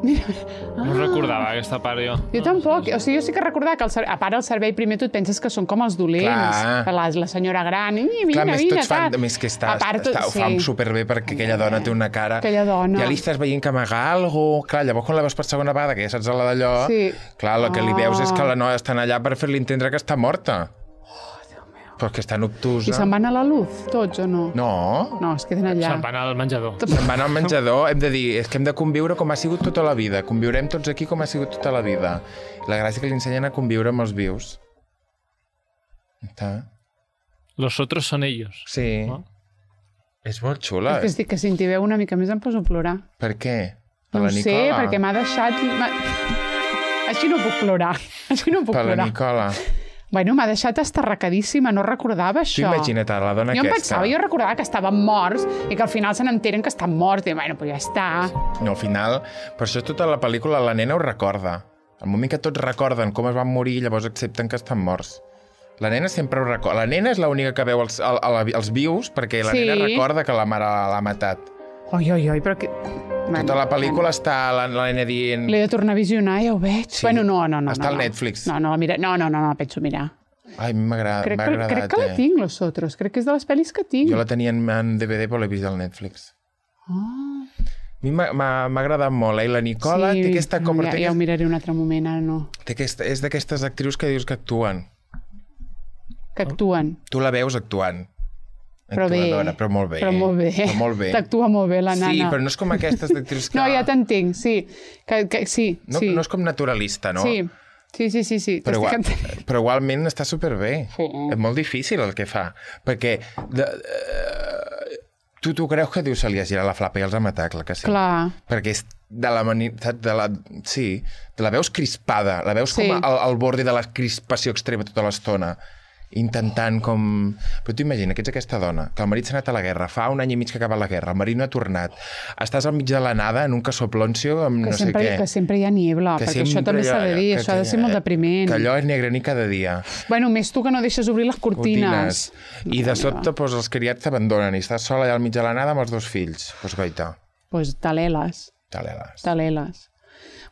Mira. No recordava aquesta part, jo. Jo tampoc. O sigui, jo sí que recordava que a part el servei primer tu et penses que són com els dolents. La senyora gran. Clar, tots fan... Més que ho fa superbé perquè aquella dona té una cara... Aquella dona. Ja li estàs veient que amaga alguna cosa. Clar, llavors quan la veus per segona vegada, que ja saps la d'allò... Sí. Clar, el que li veus és que la noia estan allà per fer-li entendre que està morta. Però que està obtusa. I se'n van a la luz, tots, o no? No, es queden allà. Se'n van al menjador. Se'n van al menjador. Hem de dir, és que hem de conviure com ha sigut tota la vida. Conviurem tots aquí com ha sigut tota la vida. La gràcia que li ensenyen a conviure amb els vius. Los otros son ellos. Sí. No? És molt xula. És que estic que si en t'hi veu una mica més em poso a plorar. Per què? Per la Nicola? No sé, perquè m'ha deixat... Així no puc plorar. Per la Nicola. Bueno, m'ha deixat estarracadíssima, no recordava això. Tu imagina't la dona aquesta. Jo recordava que estaven morts i que al final se n'enteren que estan morts. I bueno, però ja està. No, al final, per això tota la pel·lícula la nena ho recorda. Al moment que tots recorden com es van morir, llavors accepten que estan morts. La nena sempre ho recorda. La nena és l'única que veu els vius perquè la nena recorda que la mare l'ha matat. Oi, però que... Tota la pel·lícula està la nena dient... L'he de tornar a visionar, ja ho veig. Sí. Bueno, no. Està al Netflix. No, la penso mirar. Ai, m'ha agradat. Crec que la tinc, Los Otros. Crec que és de les pel·lis que tinc. Jo la tenia en DVD, però l'he vist al Netflix. A mi m'ha agradat molt, La Nicola té aquesta... Ja ho miraré un altre moment, ara no. És d'aquestes actrius que dius que actuen. Que actuen. Tu la veus actuant. Però molt bé. T'actua molt bé, la nana. Sí, però no és com aquestes d'actrius que... No, ja t'entenc, sí. Sí. No és com naturalista, no? Sí. Però igualment està superbé. Sí. És molt difícil el que fa. Perquè tu creus que dius se li ha girat la flapa i els ha matat, clar que sí. Clar. Perquè és te la veus crispada, la veus com al borde de la crispació extrema tota l'estona. Intentant com... Però tu imagina que ets aquesta dona, que el marit s'ha anat a la guerra, fa un any i mig que ha acabat la guerra, el marit no ha tornat, estàs al mig de la nada en un casoploncio amb no sé què. Que sempre hi ha niebla, perquè això també s'ha de dir, això ha de ser molt depriment. Que allò és negre ni cada dia. Bueno, més tu que no deixes obrir les cortines. I de sobte els criats t'abandonen i estàs sola allà al mig de la nada amb els 2 fills. Doncs goita. Doncs Taleles.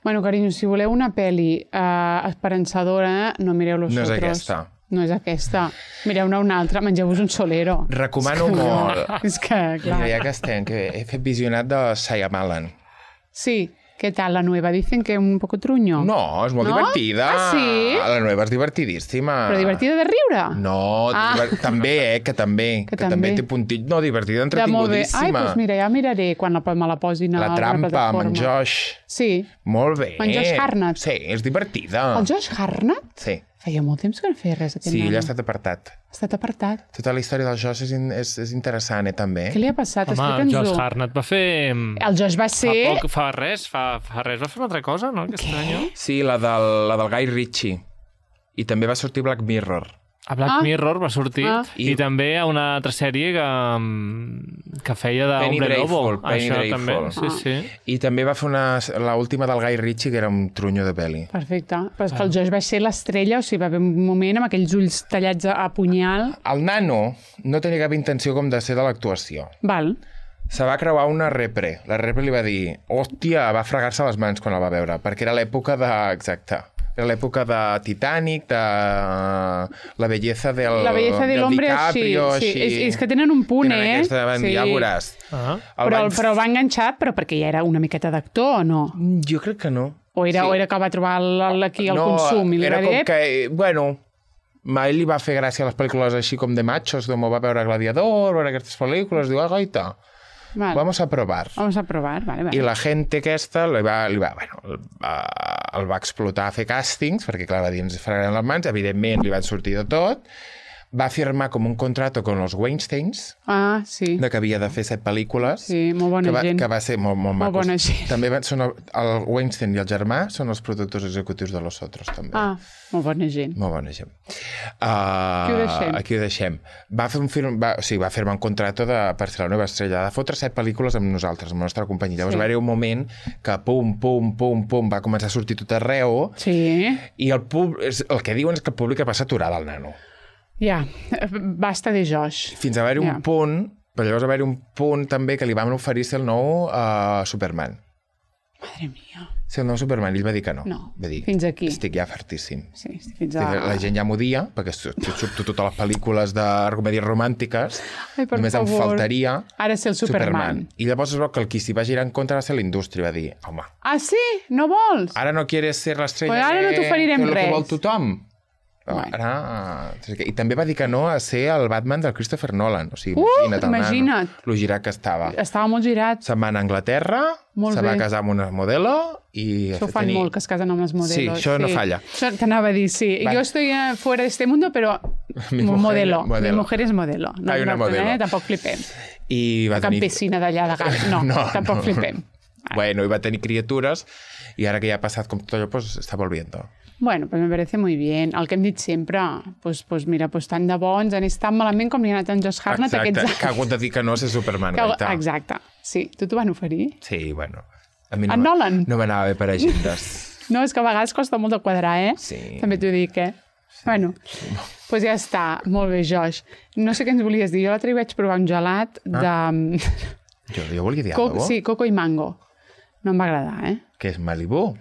Bueno, carinyo, si voleu una pel·li esperançadora, no mireu Los Otros. No és aquesta. No és aquesta. Mireu-ne una altra, mengeu-vos un solero. Recomano molt. És que, clar. Ja que estem, que he fet visionat de Shyamalan. Sí. ¿Qué tal la nueva? Dicen que un poco truño. No, és molt divertida. Ah, sí? La nueva és divertidíssima. Però divertida de riure? No, també, que també té puntit. No, divertida, entretingutíssima. Ai, doncs mira, ja miraré quan me la posin a la plataforma. La trampa, amb en Josh. Sí. Molt bé. Amb en Josh Hartnett. Sí, és divertida. El Josh Hartnett? Sí. Feia molt temps que no feia res. Sí, ell ha estat apartat. Ha estat apartat. Tota la història del Josh és interessant, també. Què li ha passat? Home, el Josh Hartnett va fer... El Josh va ser... Fa res, va fer una altra cosa, no? Aquest any. Sí, la del Guy Ritchie. I també va sortir Black Mirror. A Black Mirror va sortir. I també a una altra sèrie que feia d'Hombre Lobo. Penny Dreadful. Sí. I també va fer l'última del Guy Ritchie, que era un trunyo de pel·li. Perfecte. Però és que el Josh va ser l'estrella, o sigui, va haver un moment amb aquells ulls tallats a punyal. El nano no tenia cap intenció com de ser de l'actuació. Val. Se va creuar una repre. La repre li va dir, hòstia, va fregar-se les mans quan el va veure, perquè era l'època de... Exacte. Era l'època de Titanic, de la belleza del DiCaprio, sí. És que tenen un punt, sí. Ja veuràs. Però el va enganxar, però perquè ja era una miqueta d'actor, o no? Jo crec que no. O era que va trobar aquí el consum i li va dir... No, era com que... Bueno, a ell li va fer gràcia les pel·lícules així com de machos, com va veure Gladiador, veure aquestes pel·lícules, diu, gaita... Vale. Vamos a probar. Vale. I la gent aquesta el va explotar a fer càstings, perquè clar, va dir, ens fregaran les mans, evidentment li van sortir de tot, va firmar com un contrato con los Weinsteins, sí. de que havia de fer 7 pel·lícules. Sí, molt bona gent. Que va ser molt macos. Molt bona gent. També són el Weinstein i el germà són els productors executius de Los Otros, també. Molt bona gent. Molt bona gent. Aquí ho deixem. Va fer un film, va firmar un contrato per ser la nova estrella, de fotre 7 pel·lícules amb nosaltres, amb la nostra companyia. Llavors va haver un moment que pum, va començar a sortir tot arreu, i el que diuen és que el públic va saturar del nano. Ja, basta de Josh. Fins a haver-hi un punt, però llavors va haver-hi un punt també que li van oferir ser el nou Superman. Madre mia. Ser el nou Superman, i ell va dir que no. Va dir, fins aquí. Estic ja fartíssim. Sí, fins a... La gent ja m'ho dia, perquè surto totes les pel·lícules de comèdies romàntiques. Ai, per només favor. Em faltaria ara ser el Superman. I llavors es veu que el qui s'hi va girar en contra va ser la indústria, va dir, home... Ah, sí? No vols? Ara no quieres ser l'estrella pues ara no t'oferirem res. Que vol tothom. I també va dir que no a ser el Batman del Christopher Nolan. O sigui, imagina't. Lo girat que estava. Estava molt girat. Se'n va anar a Anglaterra, va casar amb una modelo i... Això ho fan molt, que es casen amb les modelos. Sí, això no falla. Això t'anava a dir, sí. Jo estoy fuera de este mundo, però modelo. Mi mujer es modelo. Hay una modelo. Tampoc flipem. La campesina d'allà de Gat. No, tampoc flipem. Bueno, i va tenir criatures i ara que ja ha passat com tot allò, pues està volviendo. Bueno, pues me parece muy bien. El que hem dit sempre, pues mira, pues tant de bons, han estat malament com li ha anat en Josh Hartnett aquests anys. Exacte, que ha hagut de dir que no a ser Superman. Exacte, sí. Tu t'ho van oferir? Sí, bueno. A mi Nolan? No m'anava bé per agendes. No, és que a vegades costa molt de quadrar, Sí. També t'ho dic, Sí. Bueno, doncs ja està. Molt bé, Josh. No sé què ens volies dir. Jo l'altre dia vaig provar un gelat de... Jo volia dir alguna cosa. Sí, coco i mango. No em va agradar, Què és, Malibu?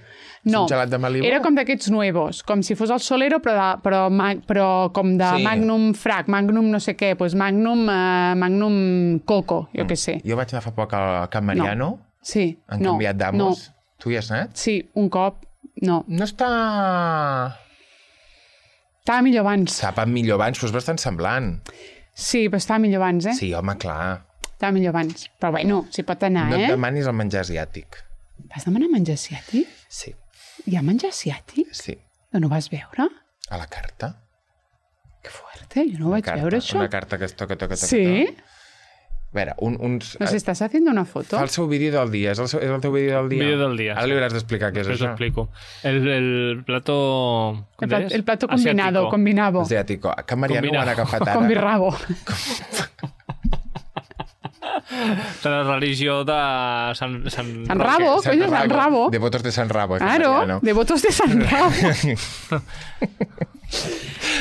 No, un gelat de Malibu? Era com d'aquests nuevos, com si fos el Solero, però com de Magnum Frac, Magnum no sé què, doncs Magnum Coco, jo què sé. Jo vaig anar fa poc al Can Mariano. Sí, Han canviat d'amos. Tu hi has anat? Sí, un cop, no. No està... Estava millor abans. Estava millor abans, però és bastant semblant. Sí, però estava millor abans, Sí, home, clar. Estava millor abans. Però bueno, s'hi pot anar, No et demanis el menjar asiàtic. Vas demanar menjar asiàtic? Sí. Hi ha menjar asiàtic? Sí. No ho vas veure? A la carta. Que fuerte, jo no ho vaig veure, això. Una carta que es toca. Sí? A veure, uns... Nos estás haciendo una foto. Fa el seu vídeo del dia. És el teu vídeo del dia? Vídeo del dia. Ara li hauràs d'explicar què és això. Explico. El plato... El plato combinado, combinavo. Asiático. A Can Mariano ho han agafat ara. Con birrabo. De la religió de Sant Rabo, coño, Sant Rabo. Devotos de Sant Rabo. Claro, devotos de Sant Rabo.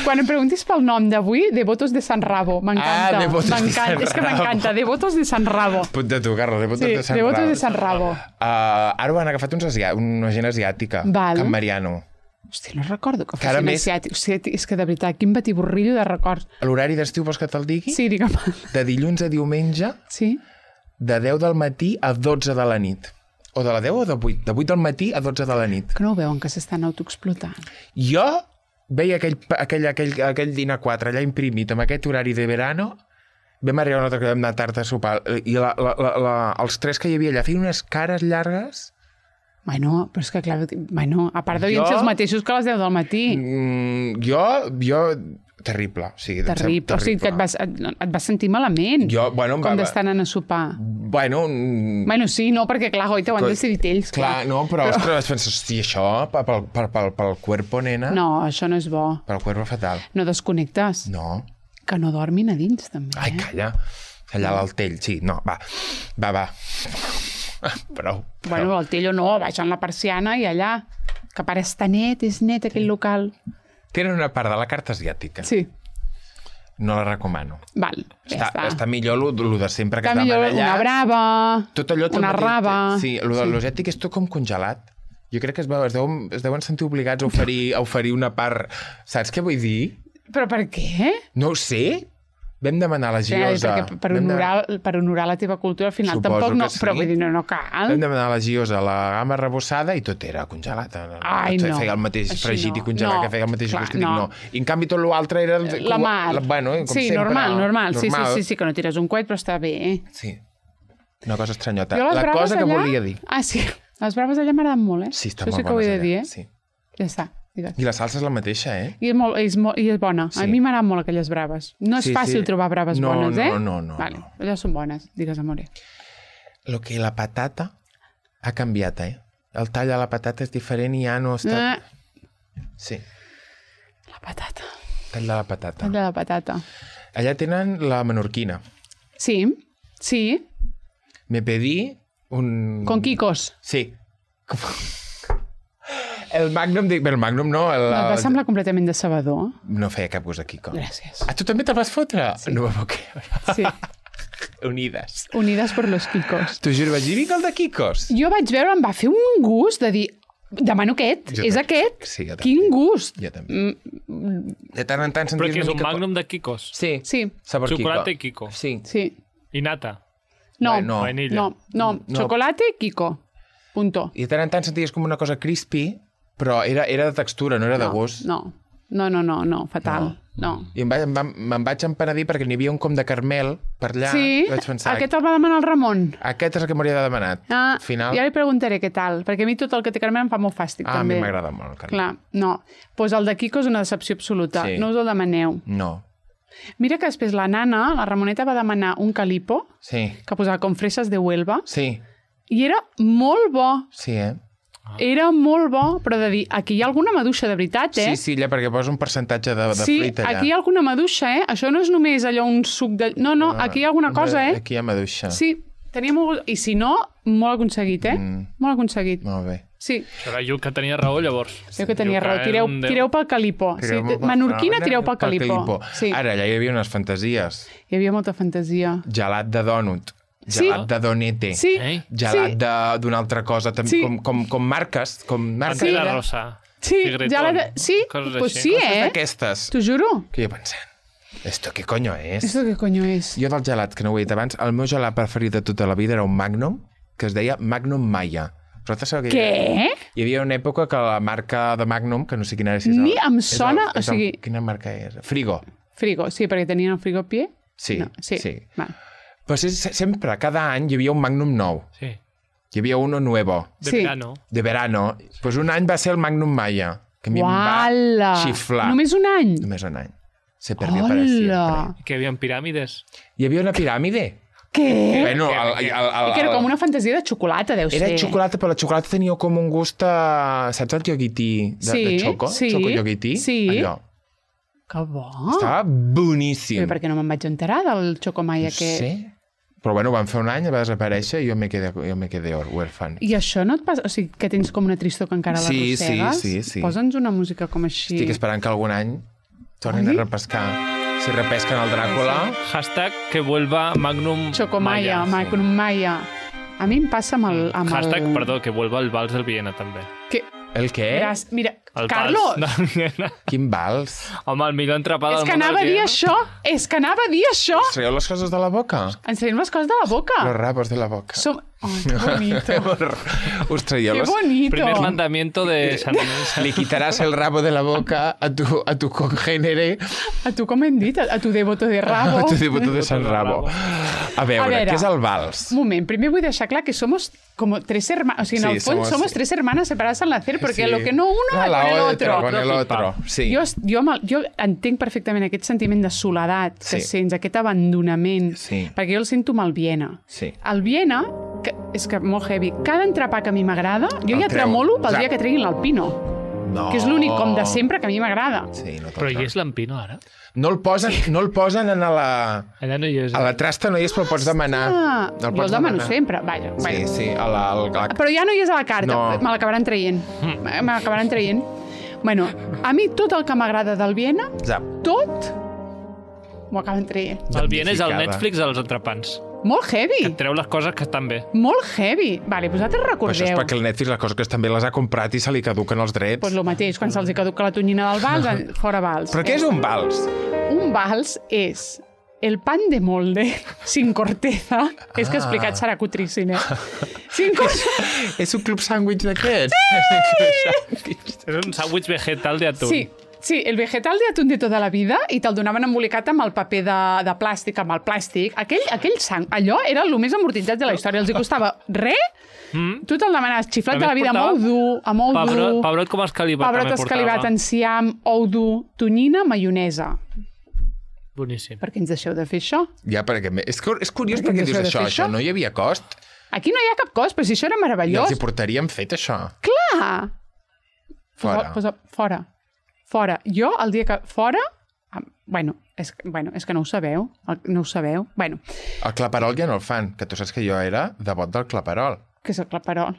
Quan em preguntis pel nom d'avui, Devotos de Sant Rabo. M'encanta. Devotos de Sant Rabo. És que m'encanta. Devotos de Sant Rabo. Punta tu, Carlos. Devotos de Sant Rabo. Devotos de Sant Rabo. Ara ho han agafat una gent asiàtica. Can Mariano. Hòstia, no recordo que fossin asiàtics. Hòstia, és que de veritat, quin batiborrillo de records. L'horari d'estiu vols que te'l digui? Sí, digue'm. De dilluns a diumenge, de 10 del matí a 12 de la nit. O de la 10 o de 8? De 8 del matí a 12 de la nit. Que no ho veuen, que s'estan autoexplotant. Jo veia aquell dinar 4 allà imprimit amb aquest horari de verano. Vam arribar una altra que vam anar tard a sopar. I els tres que hi havia allà feien unes cares llargues. Bueno, però és que clar... Bueno, a part devien ser els mateixos que a les 10 del matí. Jo... Terrible. Terrible. O sigui, que et vas sentir malament. Com d'estar anant a sopar. Bueno, sí, no, perquè clar, goita, ho han decidit ells. Clar, no, però ostres, vaig pensar, hosti, això pel cuerpo, nena... No, això no és bo. Pel cuerpo fatal. No desconnectes. No. Que no dormin a dins, també. Ai, calla. Allà a l'Altell, sí. No, va. Prou. Bueno, l'Altello no, baixant la persiana i allà. Que pare està net, és net aquell local. Tenen una part de la carta asiàtica. Sí. No la recomano. Val, ja està. Està millor el de sempre que es demana allà. Una brava, tot allò una raba... Sí, el de l'asiàtic és tot com congelat. Jo crec que es deuen sentir obligats a oferir una part... Saps què vull dir? Però per què? No ho sé. Vam demanar la Giosa... Per honorar la teva cultura, al final tampoc no... Però vull dir, no cal. Vam demanar la Giosa la gamma arrebossada i tot era congelat. Ai, no. Feia el mateix fregit i congelat, que feia el mateix gust. No. I en canvi tot l'altre era... La mar. Bueno, com sí, sempre. Normal. Sí, que no tires un coet, però està bé. Sí. Una cosa estranyota. La cosa que volia dir. Ah, sí. Les braves allà m'agraden molt, Sí, estan molt bones allà. Això sí que ho he de dir, Sí. Ja està. I la salsa és la mateixa, I és bona. A mi m'agraden molt aquelles braves. No és fàcil trobar braves bones, No. Vale, allà són bones, digues, amore. Lo que la patata ha canviat, El tall de la patata és diferent i ja no està... Sí. La patata. Tall de la patata. Tall de la patata. Allà tenen la menorquina. Sí. Me pedí un... Con quicos. Sí. El Magnum no... Et va semblar completament decebedor. No feia cap gust de quico. Gràcies. Tu també te'l vas fotre? Sí. No m'ho creure. Sí. Unides por los quicos. T'ho juro, vaig dir el de quicos. Jo vaig veure, em va fer un gust de dir... Demano aquest, és aquest. Sí, jo també. Quin gust. Jo també. De tant en tant senties una mica... Però que és un Magnum de quicos? Sí. Sabor Chocolate i quico. Sí. I nata? No. Vainilla. No. Chocolate i quico. Punto. I de tant en tant senties com una cosa crispy, però era de textura, no era de gust. No, fatal. No. I me'n vaig empenedir perquè n'hi havia un com de caramel per allà. Sí, vaig pensar, aquest el va demanar el Ramon. Aquest és el que m'hauria de demanar. Al final... Ja li preguntaré què tal, perquè a mi tot el que té caramel em fa molt fàstic, també. A mi m'agrada molt el caramel. Clar, no. Pues el de Quico és una decepció absoluta. Sí. No us el demaneu. No. Mira que després la nana, la Ramoneta, va demanar un calipo que posava com fresses de Huelva. Sí. I era molt bo. Sí, Era molt bo, però de dir, aquí hi ha alguna maduixa de veritat, Sí, perquè posa un percentatge de fruita allà. Sí, aquí hi ha alguna maduixa, Això no és només allò un suc de... No, aquí hi ha alguna cosa, Aquí hi ha maduixa. Sí, tenia molt... I si no, molt aconseguit, Molt aconseguit. Molt bé. Sí. Això era Lluc que tenia raó, llavors. Jo que tenia raó. Tireu pel calipó. Menorquina, tireu pel calipó. Ara, allà hi havia unes fantasies. Hi havia molta fantasia. Gelat de dònut. Gelat de donete. Gelat d'una altra cosa. Com marques. Pantera rosa. Sí, pues sí, d'aquestes. T'ho juro. Que jo pensant, ¿esto qué coño es? ¿Esto qué coño es? Jo del gelat, que no ho he dit abans, el meu gelat preferit de tota la vida era un Magnum, que es deia Magnum Maya. Què? Hi havia una època que la marca de Magnum, que no sé quina era... Ni em sona... Quina marca és? Frigo. Frigo, sí, perquè tenien el frigopié. Sí. Val. Però sempre, cada any, hi havia un Magnum nou. Sí. Hi havia uno nuevo. De verano. Pues un any va ser el Magnum Maya, que a mi em va xiflar. Només un any? Només un any. Se perdió para siempre. Que hi havia piràmides? Hi havia una piràmide. Què? Bueno, que era com una fantasia de xocolata, deu ser. Era xocolata, però la xocolata tenia com un gust saps el yoguití de xoco? Xoco yoguití? Sí. Allò. Que bo. Estava boníssim. Però per què no me'n vaig enterar del xocomai aquest? Sí. Però bueno, van fer un any, va desaparèixer i jo me quedé huérfan. I això no et passa? O sigui, que tens com una tristor que encara l'arrossegues? Sí. Posa'ns una música com així. Estic esperant que algun any tornin a repescar. Si repesquen el Dràcula... Hashtag que vuelva Magnum Chocomaya, Magnum Maya. A mi em passa amb el... Hashtag, perdó, que vuelva el vals del Viena, també. El què? Mira, el Carlos! Quin vals? Home, el millor entrepà del món. És que anava a dir això! Ens traiem les coses de la boca? Ens traiem les coses de la boca. Los rabos de la boca. Ai, que bonito. Us traieu Qué bonito. Primer mandamiento de San Le quitarás el rabo de la boca a tu congénere. A tu, com hem dit? A tu devoto de rabo. A tu devoto de San Rabo. A veure, què és el vals? Un moment, primer vull deixar clar que somos como tres hermanas, o sigui, en el fons somos tres hermanas separadas al nacer, porque lo que no uno con el otro. Sí. Jo entenc perfectament aquest sentiment de soledat que sents, aquest abandonament, perquè jo el sento amb el Viena. El Viena, és que molt heavy, cada entrepà que a mi m'agrada, jo ja tremolo pel dia que treguin l'Alpino. Que és l'únic com de sempre que a mi m'agrada. Però hi és l'Alpino ara? No el posen en la... Allà no hi és. A la trasta no hi és, però el pots demanar. Jo el demano sempre. Vaja. Sí. Però ja no hi és a la carta. Me l'acabaran traient. Bueno, a mi tot el que m'agrada del Viena, tot, m'ho acaben traient. El Viena és el Netflix dels entrepans. Molt heavy. Que et treu les coses que estan bé. Molt heavy. Vale, vosaltres recordeu... Això és perquè el Netflix les coses que estan bé les ha comprat i se li caduquen els drets. Doncs el mateix, quan se'ls caduca la tonyina del vals, fora vals. Però què és un vals? Un vals és el pan de molde sin corteza. És que explicat serà cutríssim, És un club sàndwich d'aquests? Sí! És un sàndwich vegetal de atún. Sí, el vegetal de atún de tota la vida i te'l donaven embolicat amb el paper de plàstic, amb el plàstic. Aquell sang, allò era el més amortitzat de la història. Els hi costava res. Tu te'l demanaves xiflat de la vida amb ou dur, pebrot com escalivat. Pebrot escalivat, enciam, ou dur, tonyina, maionesa. Boníssim. Per què ens deixeu de fer això? Ja, perquè és curiós perquè dius això no hi havia cost. Aquí no hi ha cap cost, però si això era meravellós. I els hi portaríem fet, això. Clar! Fora. Fora. Jo, el dia que... Fora... És que no ho sabeu. Bueno. El claperol ja no el fan, que tu saps que jo era devot del claperol. Què és el claperol?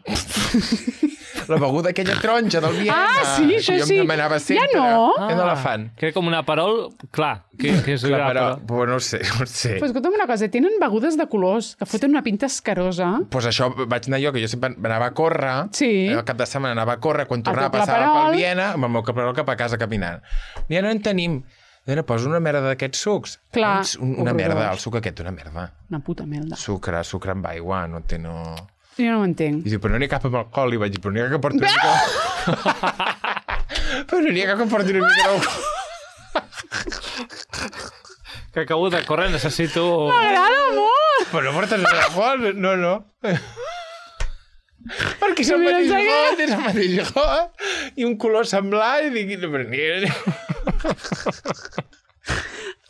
La beguda aquella taronja del Viena. Sí, això sí. Jo em demanava sempre. Ja no? Ja no la fan. Que com una perol, clar. Que és claperol. No ho sé. Però escolta'm una cosa, tenen begudes de colors que foten una pinta escarosa. Doncs això vaig anar jo, que jo sempre anava a córrer. Sí. El cap de setmana anava a córrer, quan tornava passava pel Viena, amb el meu claperol cap a casa caminant. Ja no en tenim. Nena, posa una merda d'aquests sucs. Clar. Una merda, el suc aquest, una merda. Una puta merda. Sucre amb aigua, no té no... Jo no ho entenc. I diu, però no n'hi ha cap amb alcohol. I vaig dir, però n'hi ha que porti una mica... Però no n'hi ha que porti una mica d'alcohol. Que acabo de córrer, necessito... M'agrada molt! Però no portes alcohol, no. Perquè és el mateix got, i un color semblant, i dic, no, però n'hi ha...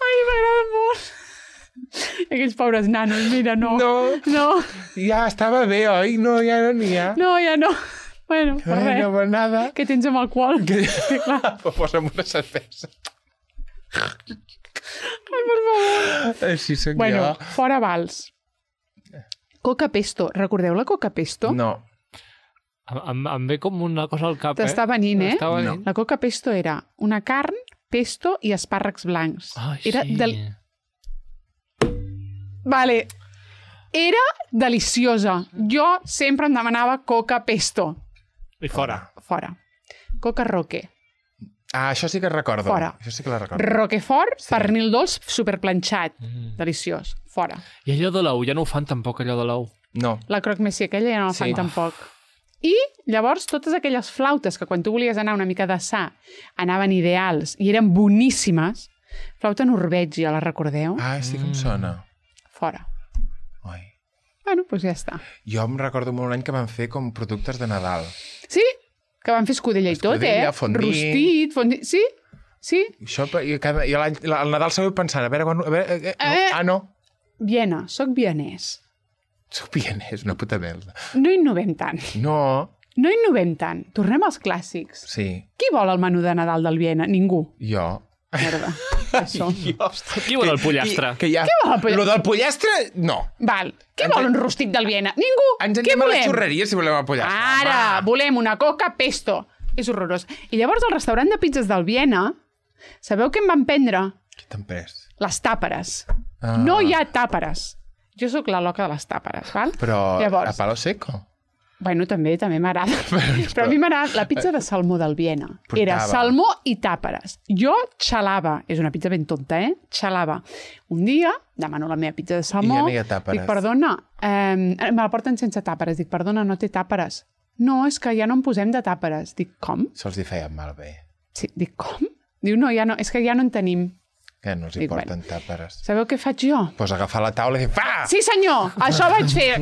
Ai, m'agrada molt. Aquells pobres nanos, mira, no. Ja estava bé, oi? No, ja no n'hi ha. No, ja no. Bueno, per res. No, nada. Què tens amb alcohol? Sí, clar. Posa'm una cervesa. Ai, per favor. Així soc bueno, jo. Fora vals. Coca pesto. Recordeu la coca pesto? No. Em ve com una cosa al cap, T'està venint, eh? No. La coca pesto era una carn, pesto i espàrrecs blancs. Ai, era sí. Vale. Era deliciosa. Jo sempre em demanava coca pesto. I fora. Fora. Coca roque. Ah, això sí que recordo. Fora. Això sí que la recordo. Roquefort, sí. Pernil dolç, superplanxat. Deliciós. Fora. I allò de l'ou, ja no ho fan tampoc, allò de l'ou. No. La croque monsieur, aquella ja no la fan tampoc. I llavors totes aquelles flautes que quan tu volies anar una mica de sa anaven ideals i eren boníssimes. Flauta Norvègia, la recordeu? Ah, sí que em sona. Fora. Ai. Bueno, doncs ja està. Jo em recordo molt un any que van fer com productes de Nadal. Sí? Que van fer escudella i tot, eh? Fondí. Rostit, fondí... Sí? Sí? Això, i el Nadal seguiu pensant, a veure... no. Viena, soc vienès. Soc vienès, una puta merda. No innovem tant. No. No innovem tant. Tornem als clàssics. Sí. Qui vol el menú de Nadal del Viena? Ningú. Jo. Merda. Això. Qui vol el pollastre? Qui vol el pollastre? Lo del pollastre, no. Val. Qui vol un rostit del Viena? Ningú. Ens anem a la xurreria si volem el pollastre. Ara, volem una coca pesto. És horrorós. I llavors al restaurant de pizzas del Viena, sabeu què em van prendre? Què t'han pres? Les tàperes. No hi ha tàperes. Jo sóc la loca de les tàperes, val? Però llavors, a palo seco? Bueno, també m'agrada. Però a mi m'agrada la pizza de salmó del Viena. Era salmó i tàperes. Jo xalava. És una pizza ben tonta, eh? Xalava. Un dia demano la meva pizza de salmó. I ja no hi ha tàperes. Dic, perdona, me la porten sense tàperes. Dic, perdona, no té tàperes. No, és que ja no en posem de tàperes. Dic, com? Se'ls hi feien malbé. Sí, dic, com? Diu, no, ja no, és que ja no en tenim. Que no els hi porten tàperes. Sabeu què faig jo? Pues agafar la taula i dir, fa! Sí, senyor! Això vaig fer.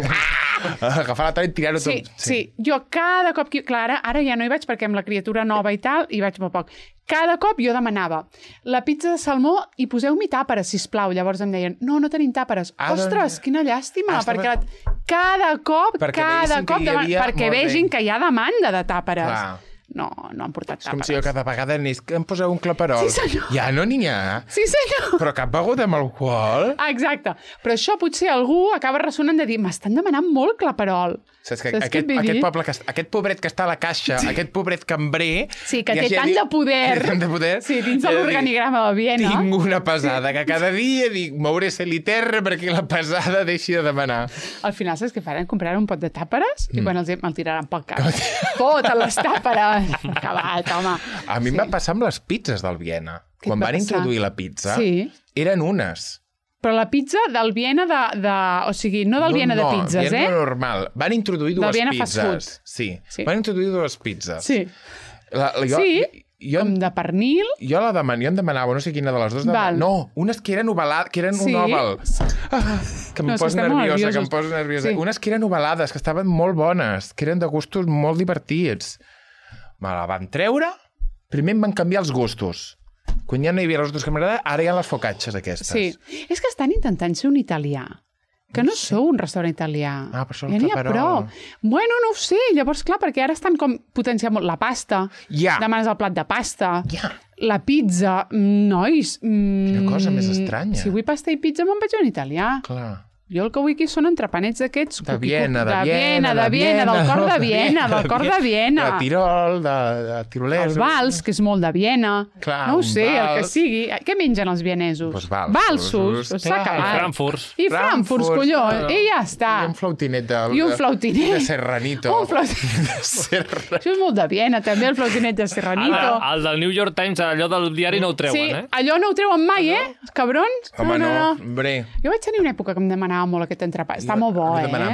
Agafar la taula i tirar-ho tot. Sí, jo cada cop... Clar, ara ja no hi vaig perquè amb la criatura nova i tal, hi vaig molt poc. Cada cop jo demanava la pizza de salmó i poseu-m'hi tàperes, sisplau. Llavors em deien, no tenim tàperes. Ostres, quina llàstima, perquè cada cop, perquè vegin que hi ha demanda de tàperes. Clar. No han portat tàperes. És com si jo cada vegada anés que em poseu un claperol. Sí, senyor. Ja no n'hi ha. Sí, senyor. Però cap beguda amb alcohol. Exacte. Però això potser algú acaba ressonant de dir m'estan demanant molt claperol. Saps que aquest poble, aquest pobret que està a la caixa, aquest pobret cambrer... Sí, que té tant de poder. Sí, dins de l'organigrama de Viena. Tinc una pesada que cada dia dic mouré celiterra perquè la pesada deixi de demanar. Al final, saps què faran? Compraran un pot de tàperes i quan me'l tiraran pel cap. Totes les tàperes. Acabat, home. A mi em va passar amb les pizzas del Viena. Quan van introduir la pizza, eren unes... Però la pizza del Viena o sigui, no del Viena de pizzas, Viena normal. Van introduir dues pizzas. Sí. Van introduir dues pizzas. Sí. Com de pernil. Jo em demanava, no sé quina de les dues. No, unes que eren ovalades, que eren un oval. Que em posa nerviosa. Unes que eren ovalades, que estaven molt bones, que eren de gustos molt divertits. Me la van treure, primer em van canviar els gustos. Quan ja no hi havia els gustos que m'agradaven, ara hi ha les focacces aquestes. Sí, és que estan intentant ser un italià. Que no sou un restaurant italià. Ah, però això ja n'hi ha prou. Bueno, no ho sé. Llavors, clar, perquè ara estan com potenciant molt la pasta. Demanes el plat de pasta. La pizza. Nois. Quina cosa més estranya. Si vull pasta i pizza, me'n vaig a un italià. Clar. Jo el que vull aquí són entrepanets d'aquests... De Viena, del cor de Viena, del cor de Viena. De Tirol, de tirolès. El vals, que és molt de Viena. Clar, no ho sé, el que sigui. Què mengen els vienesos? Pues valsos. S'ha acabat. I Frankfurts, collons. I ja està. I un flautinet de Serranito. Això és molt de Viena, també, el flautinet de Serranito. El del New York Times, allò del diari no ho treuen, eh? Sí, allò no ho treuen mai, eh? Els cabrons. Home, no. Hombre. Jo vaig tenir una època que em demanava molt aquest entrepà. Està molt bo,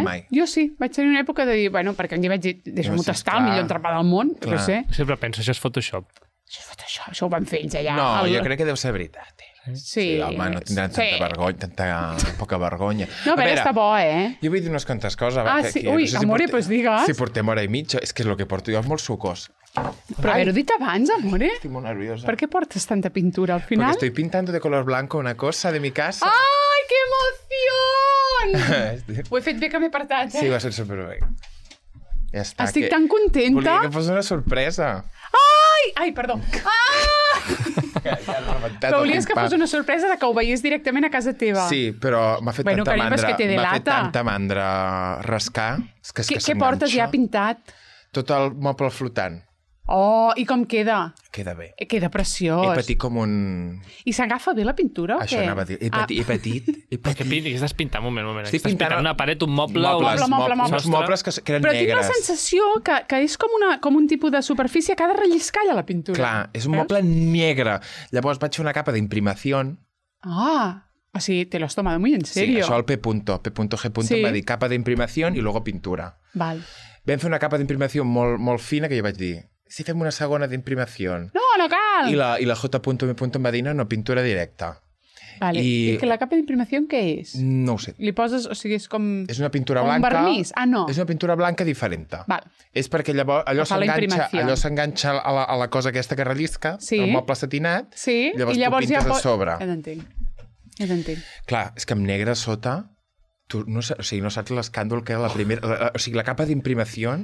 mai. Jo sí, vaig tenir una època de dir, bueno, perquè un dia vaig dir, deixa'm-ho tastar, el millor entrepà del món, no sé. Sempre penso, això és Photoshop. Això ho van fer ells allà. No, jo crec que deu ser veritat. Sí. Home, no tindran tanta vergonya, tanta poca vergonya. No, però està bo, eh? Jo vull dir unes quantes coses. Sí? Ui, amore, pues digues. Si portem hora i mitja, és que és el que porto jo, és molt sucós. Però haver-ho dit abans, amore. Estic molt nerviosa. Per què portes tanta pintura al final? Porque estoy pintando de color blanco una cosa de mi casa. Ai, que emoció! Ho he fet bé que m'he apartat, eh? Sí, va ser superbé. Ja està. Estic tan contenta. Volia que fos una sorpresa. Ai, perdó. Però volies que fos una sorpresa de que ho veiés directament a casa teva. Sí, però m'ha fet tanta mandra rascar. Què portes ja pintat? Tot el moble flotant. Oh, i com queda? Queda bé. Queda preciós. He patit com un... I s'agafa bé la pintura o què? Això anava a dir. He patit. Què estàs pintant? Un moment. Estic pintant una paret, un moble... Uns mobles que eren negres. Però tinc la sensació que és com un tipus de superfície que ha de relliscar allà la pintura. Clar, és un moble negre. Llavors vaig fer una capa d'imprimació. O sigui, te lo has tomado muy en serio. Sí, això el P.G. em va dir capa d'imprimació i luego pintura. Val. Vam fer una capa d'imprimació molt fina que jo vaig dir, si fem una segona d'imprimació... No cal! I la J.M. em va dir, no, pintura directa. Vale. I que la capa d'imprimació què és? No ho sé. Li poses, o sigui, és com... És una pintura blanca... Un vernís? No. És una pintura blanca diferent. Val. És perquè llavors allò s'enganxa a la cosa aquesta que rellisca, el moble satinat, llavors tu pintes a sobre. Ja t'entenc. Clar, és que amb negre a sota... Tu no saps l'escàndol que era la primera... O sigui, la capa d'imprimació...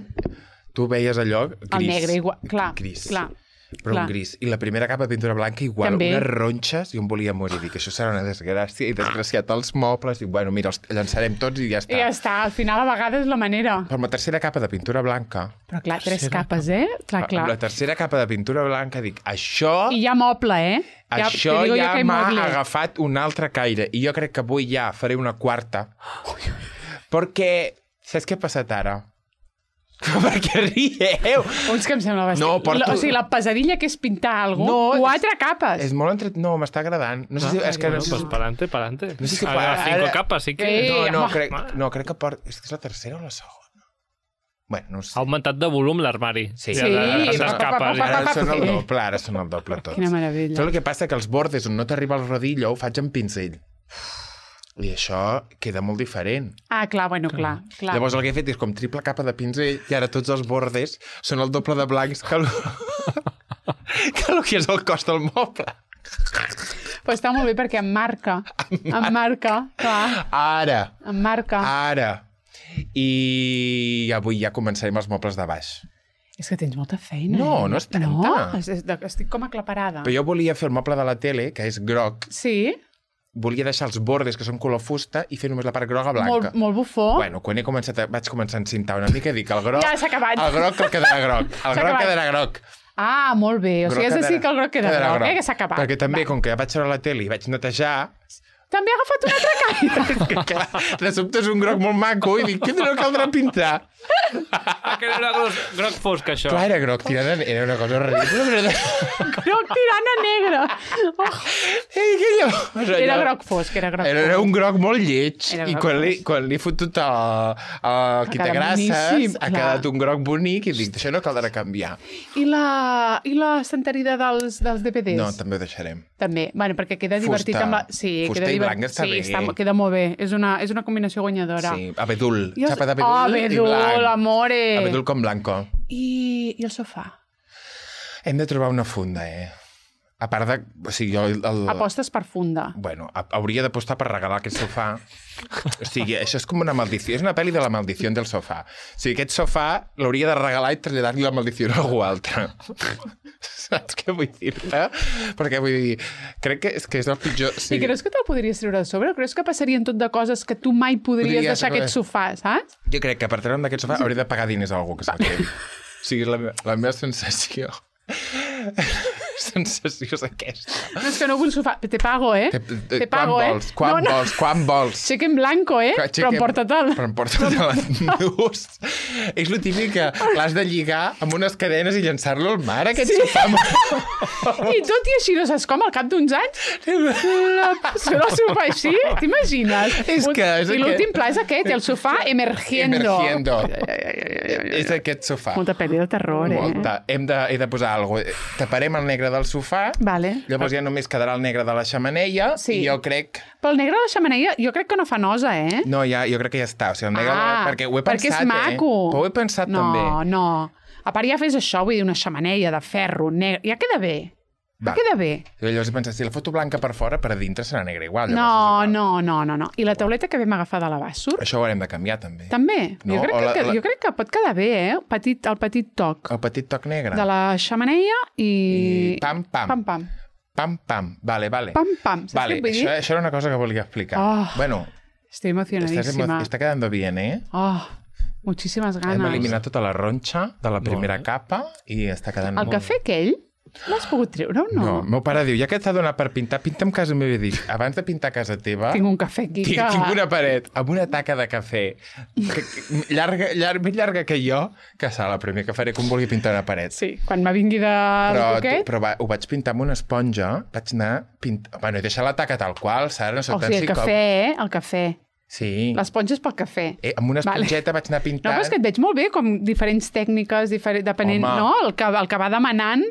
Tu veies allò gris. El negre igual, clar. Gris. Però un gris. I la primera capa de pintura blanca igual, unes ronxes, i em volia morir. Dic, això serà una desgràcia, i desgraciat els mobles, i bueno, mira, els llançarem tots i ja està. I ja està, al final a vegades és la manera. Però amb la tercera capa de pintura blanca... Però clar, 3 capes, Clar. Amb la tercera capa de pintura blanca dic, això... I ja moble, Això ja m'ha agafat un altre caire. I jo crec que avui ja faré una quarta. Perquè, saps què ha passat ara? Per què rieu? Que em sembla bastant... O sigui, la pesadilla que és pintar alguna cosa, 4 capes. És molt No, m'està agradant. No sé si... És que... Pues pa'lante. No sé si... 5 capes, sí que... Crec que és la tercera o la segona. Bueno, no sé. Ha augmentat de volum l'armari. Sí. Ara són el doble tots. Quina meravella. Però el que passa que els bordes on no t'arriba el rodillo ho faig amb pinzell. I això queda molt diferent. Clar. Llavors el que he fet és com triple capa de pinzell i ara tots els bordes són el doble de blancs que el que és el cost del moble. Però està molt bé perquè em marca, clar. Ara. Em marca. Ara. I avui ja començarem els mobles de baix. És que tens molta feina. No és tanta. No, estic com aclaparada. Però jo volia fer el moble de la tele, que és groc. Sí. Volia deixar els bordes, que són color fusta, i fer només la part groga blanca. Molt bufó. Bueno, quan vaig començar a encintar una mica i dic, el groc... Ja s'ha acabat. El groc quedarà groc. El groc quedarà groc. Molt bé. O sigui, has de dir que el groc queda groc, que s'ha acabat. Perquè també, com que vaig veure la tele i vaig netejar... També ha agafat un altre caire. És que, clar, de sobte és un groc molt maco i dic, què no caldrà pintar? Que era groc fosc, això. Clar, era groc tirant a... Era una cosa ridícula. Groc tirant a negre. Era groc fosc, era groc fosc. Era un groc molt lleig. I quan l'he fotut al quitagrasses ha quedat un groc bonic i dic, això no caldrà canviar. I la estanteria dels DVDs? No, també ho deixarem. També, bueno, perquè queda divertit amb la... Sí, fusta i blanc està bé. Sí, queda molt bé. És una combinació guanyadora. Sí, abedul. Xapa d'abedul i blanc. Amore. Abedul com blanco. I el sofà? Hem de trobar una funda, A part de... O sigui, Apostes per funda. Bueno, hauria d'apostar per regalar aquest sofà. O sigui, això és com una maldició. És una pel·li de la maldició del sofà. O sigui, aquest sofà l'hauria de regalar i traslladar-li la maldició a algú altre. Saps què vull dir-te? Perquè vull dir, crec que és el pitjor... I creus que te'l podries treure de sobre? O creus que passarien tot de coses que tu mai podries deixar aquest sofà, saps? Jo crec que per treure'm d'aquest sofà hauria de pagar diners a algú que se'l quedi. O sigui, la meva sensació... sensació és aquesta. No, és que no vull sofà. Te pago, Te pago, Quan vols? Cheque en blanco, Però emporta-te'l. Però emporta-te'l endús. És lo típic que l'has de lligar amb unes cadenes i llançar-lo al mar, aquest sofà. I tot i així, no saps com, al cap d'uns anys, el sofà així, t'imagines? I l'últim pla és aquest, el sofà emergiendo. És aquest sofà. Molta pel·li de terror, Molta. He de posar alguna cosa. Taparem el negre del sofà, llavors ja només quedarà el negre de la xemeneia, i jo crec... Però el negre de la xemeneia jo crec que no fa nosa, No, jo crec que ja està. O sigui, el negre perquè ho he pensat, perquè és maco. Però ho he pensat també. No. A part ja fes això, vull dir, una xemeneia de ferro negre. Ja queda bé. Queda bé. I llavors he pensat, si la foto blanca per fora, per a dintre serà negra igual. No. I la tauleta que vam agafar de l'Abassur? Això ho haurem de canviar, també. També? Jo crec que pot quedar bé, el petit toc. El petit toc negre. De la xemeneia i... Pam, pam. Pam, pam. Vale. Pam, pam. Saps què vull dir? Això era una cosa que volia explicar. Bueno, estoy emocionadísima. Está quedando bien, ¿eh? Muchísimas ganas. Hem eliminat tota la ronxa de la primera capa i està quedant molt... El cafè aquell, l'has pogut treure o no? No, el meu pare diu, ja que t'ha donat per pintar, pinta'm casa meva. I dic, abans de pintar casa teva... Tinc un cafè aquí que... Tinc una paret amb una taca de cafè més llarga que jo, que serà la primera que faré que em vulgui pintar una paret. Sí, quan me vingui de poquet... Però ho vaig pintar amb una esponja, vaig anar... Bueno, he deixat la taca tal qual, Sara, no soc tan psicòp. El cafè. Sí. L'esponja és pel cafè. Amb una esponjeta vaig anar pintant... No, però és que et veig molt bé, com diferents tècniques, depenent, no? El que va demanant.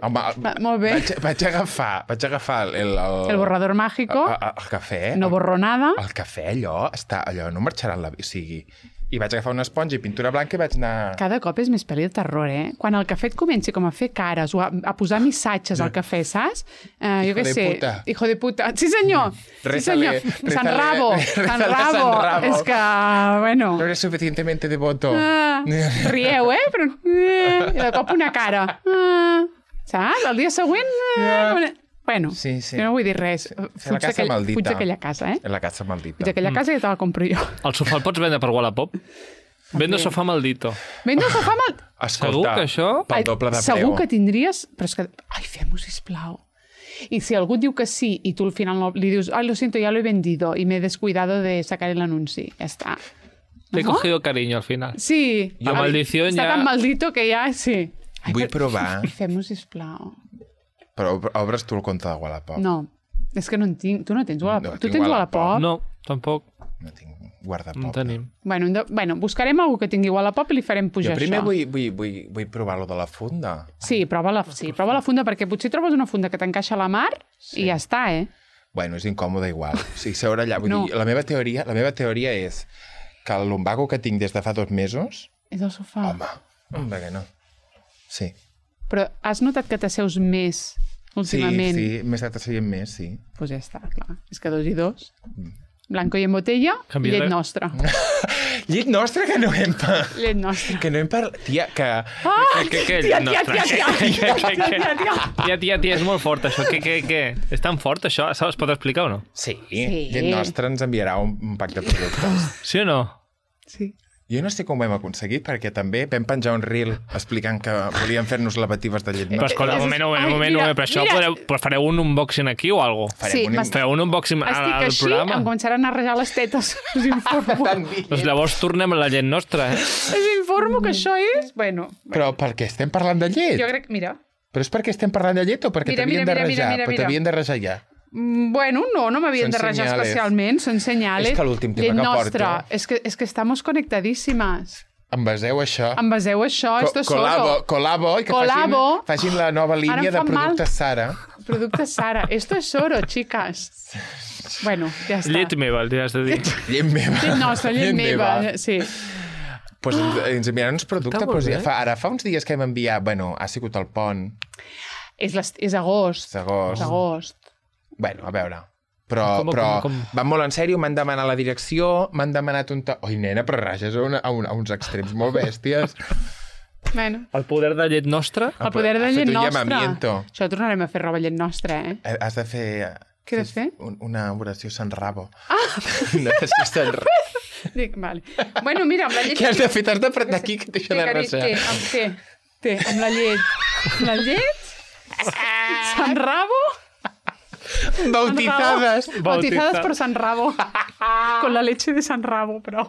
Molt bé. Vaig agafar el borrador mágico. El cafè. No borro nada. El cafè, allò no marxarà o sigui... I vaig agafar una esponja i pintura blanca i vaig anar... Cada cop és més pel·li de terror, eh? Quan el cafè et comenci com a fer cares o a posar missatges al cafè, saps? Jo què sé. Hijo de puta. Sí, senyor. Sí, senyor. San Rabo. És que, bueno... No eres suficientemente devoto. Rieu, eh? Però... I de cop una cara. Saps? El dia següent... Bueno, no vull dir res. Fuig d'aquella casa, eh? La casa maldita. Fuig d'aquella casa i te la compro jo. El sofà el pots vendre per Wallapop? Vendo sofà maldito. Vendo sofà maldito? Segur que això... Pel doble de preu. Segur que tindries... Però és que... Ai, fem-ho, sisplau. I si algú diu que sí i tu al final li dius ai, lo siento, ya lo he vendido y me he descuidado de sacar el anunci. Ja està. Te he cogido cariño al final. Sí. La maldición ya... Està tan maldito que ja... Sí. Vull provar. Fem-ho, sisplau. Però obres tu el compte de Wallapop? No, és que no en tinc. Tu no tens Wallapop? Tu tens Wallapop? No, tampoc. No tinc Guardapop. No tenim. Bueno, buscarem algú que tingui Wallapop i li farem pujar això. Jo primer vull provar-lo de la funda. Sí, prova la funda, perquè potser trobes una funda que t'encaixa a la mar i ja està, eh? Bueno, és incòmode igual. O sigui, seure allà... Vull dir, la meva teoria és que el lumbago que tinc des de fa 2 mesos... És el sofà. Home, que no. Sí. Però has notat que t'asseus més últimament? Sí, m'he estat asseient més, sí. Doncs pues ja està, clar. És que 2 i 2. Blanco i en botella, llet nostra. Llet nostra que no hem parlat. Llet nostra. Que no hem parlat... Tia, que... Tia, és molt fort, això. Què? És tan fort, això? Es pot explicar o no? Sí. Llet nostra ens enviarà un pack de productes. Sí o no? Sí. Jo no sé com ho hem aconseguit, perquè també vam penjar un reel explicant que volíem fer-nos lavatives de llet nostra. Però escolta, un moment, però això fareu un unboxing aquí o alguna cosa? Sí, fareu un unboxing al programa? Estic així, em començaran a rajar les tetes. Us informo. Doncs llavors tornem a la llet nostra, eh? Us informo que això és... Bueno. Però per què estem parlant de llet? Jo crec... Mira. Però és perquè estem parlant de llet o perquè t'havien de rajar? Però t'havien de rajar ja. Bueno, no m'havien de rajar especialment, són senyales. És que l'últim tema que porto... Es que estamos conectadíssimas. Envaseu això. Esto es oro. Colabo, i que facin la nova línia de productes Sara. Productes Sara. Esto es oro, chicas. Bueno, ja està. Llet meva, el has de dir. Llet meva. Llet nostra, llet meva, sí. Pues ens enviaran uns productes. Ara fa uns dies que hem enviat... Bueno, ha sigut el pont. És agost. És agost. Bueno, a veure... Però van molt en sèrio, m'han demanat la direcció, m'han demanat un... Oi, nena, però rages a uns extrems molt bèsties. Bueno. El poder de llet nostra? El poder de llet nostra. Això tornarem a fer roba llet nostra, eh? Has de fer... Què has de fer? Una oració Sant Rabo. Una oració Sant Rabo. Dic, vale. Bueno, mira, amb la llet... Què has de fer? T'has d'apretar aquí que deixa de resar. Amb la llet. La llet... Sant Rabo... Bautizadas por San Rabo. Con la leche de San Rabo, però...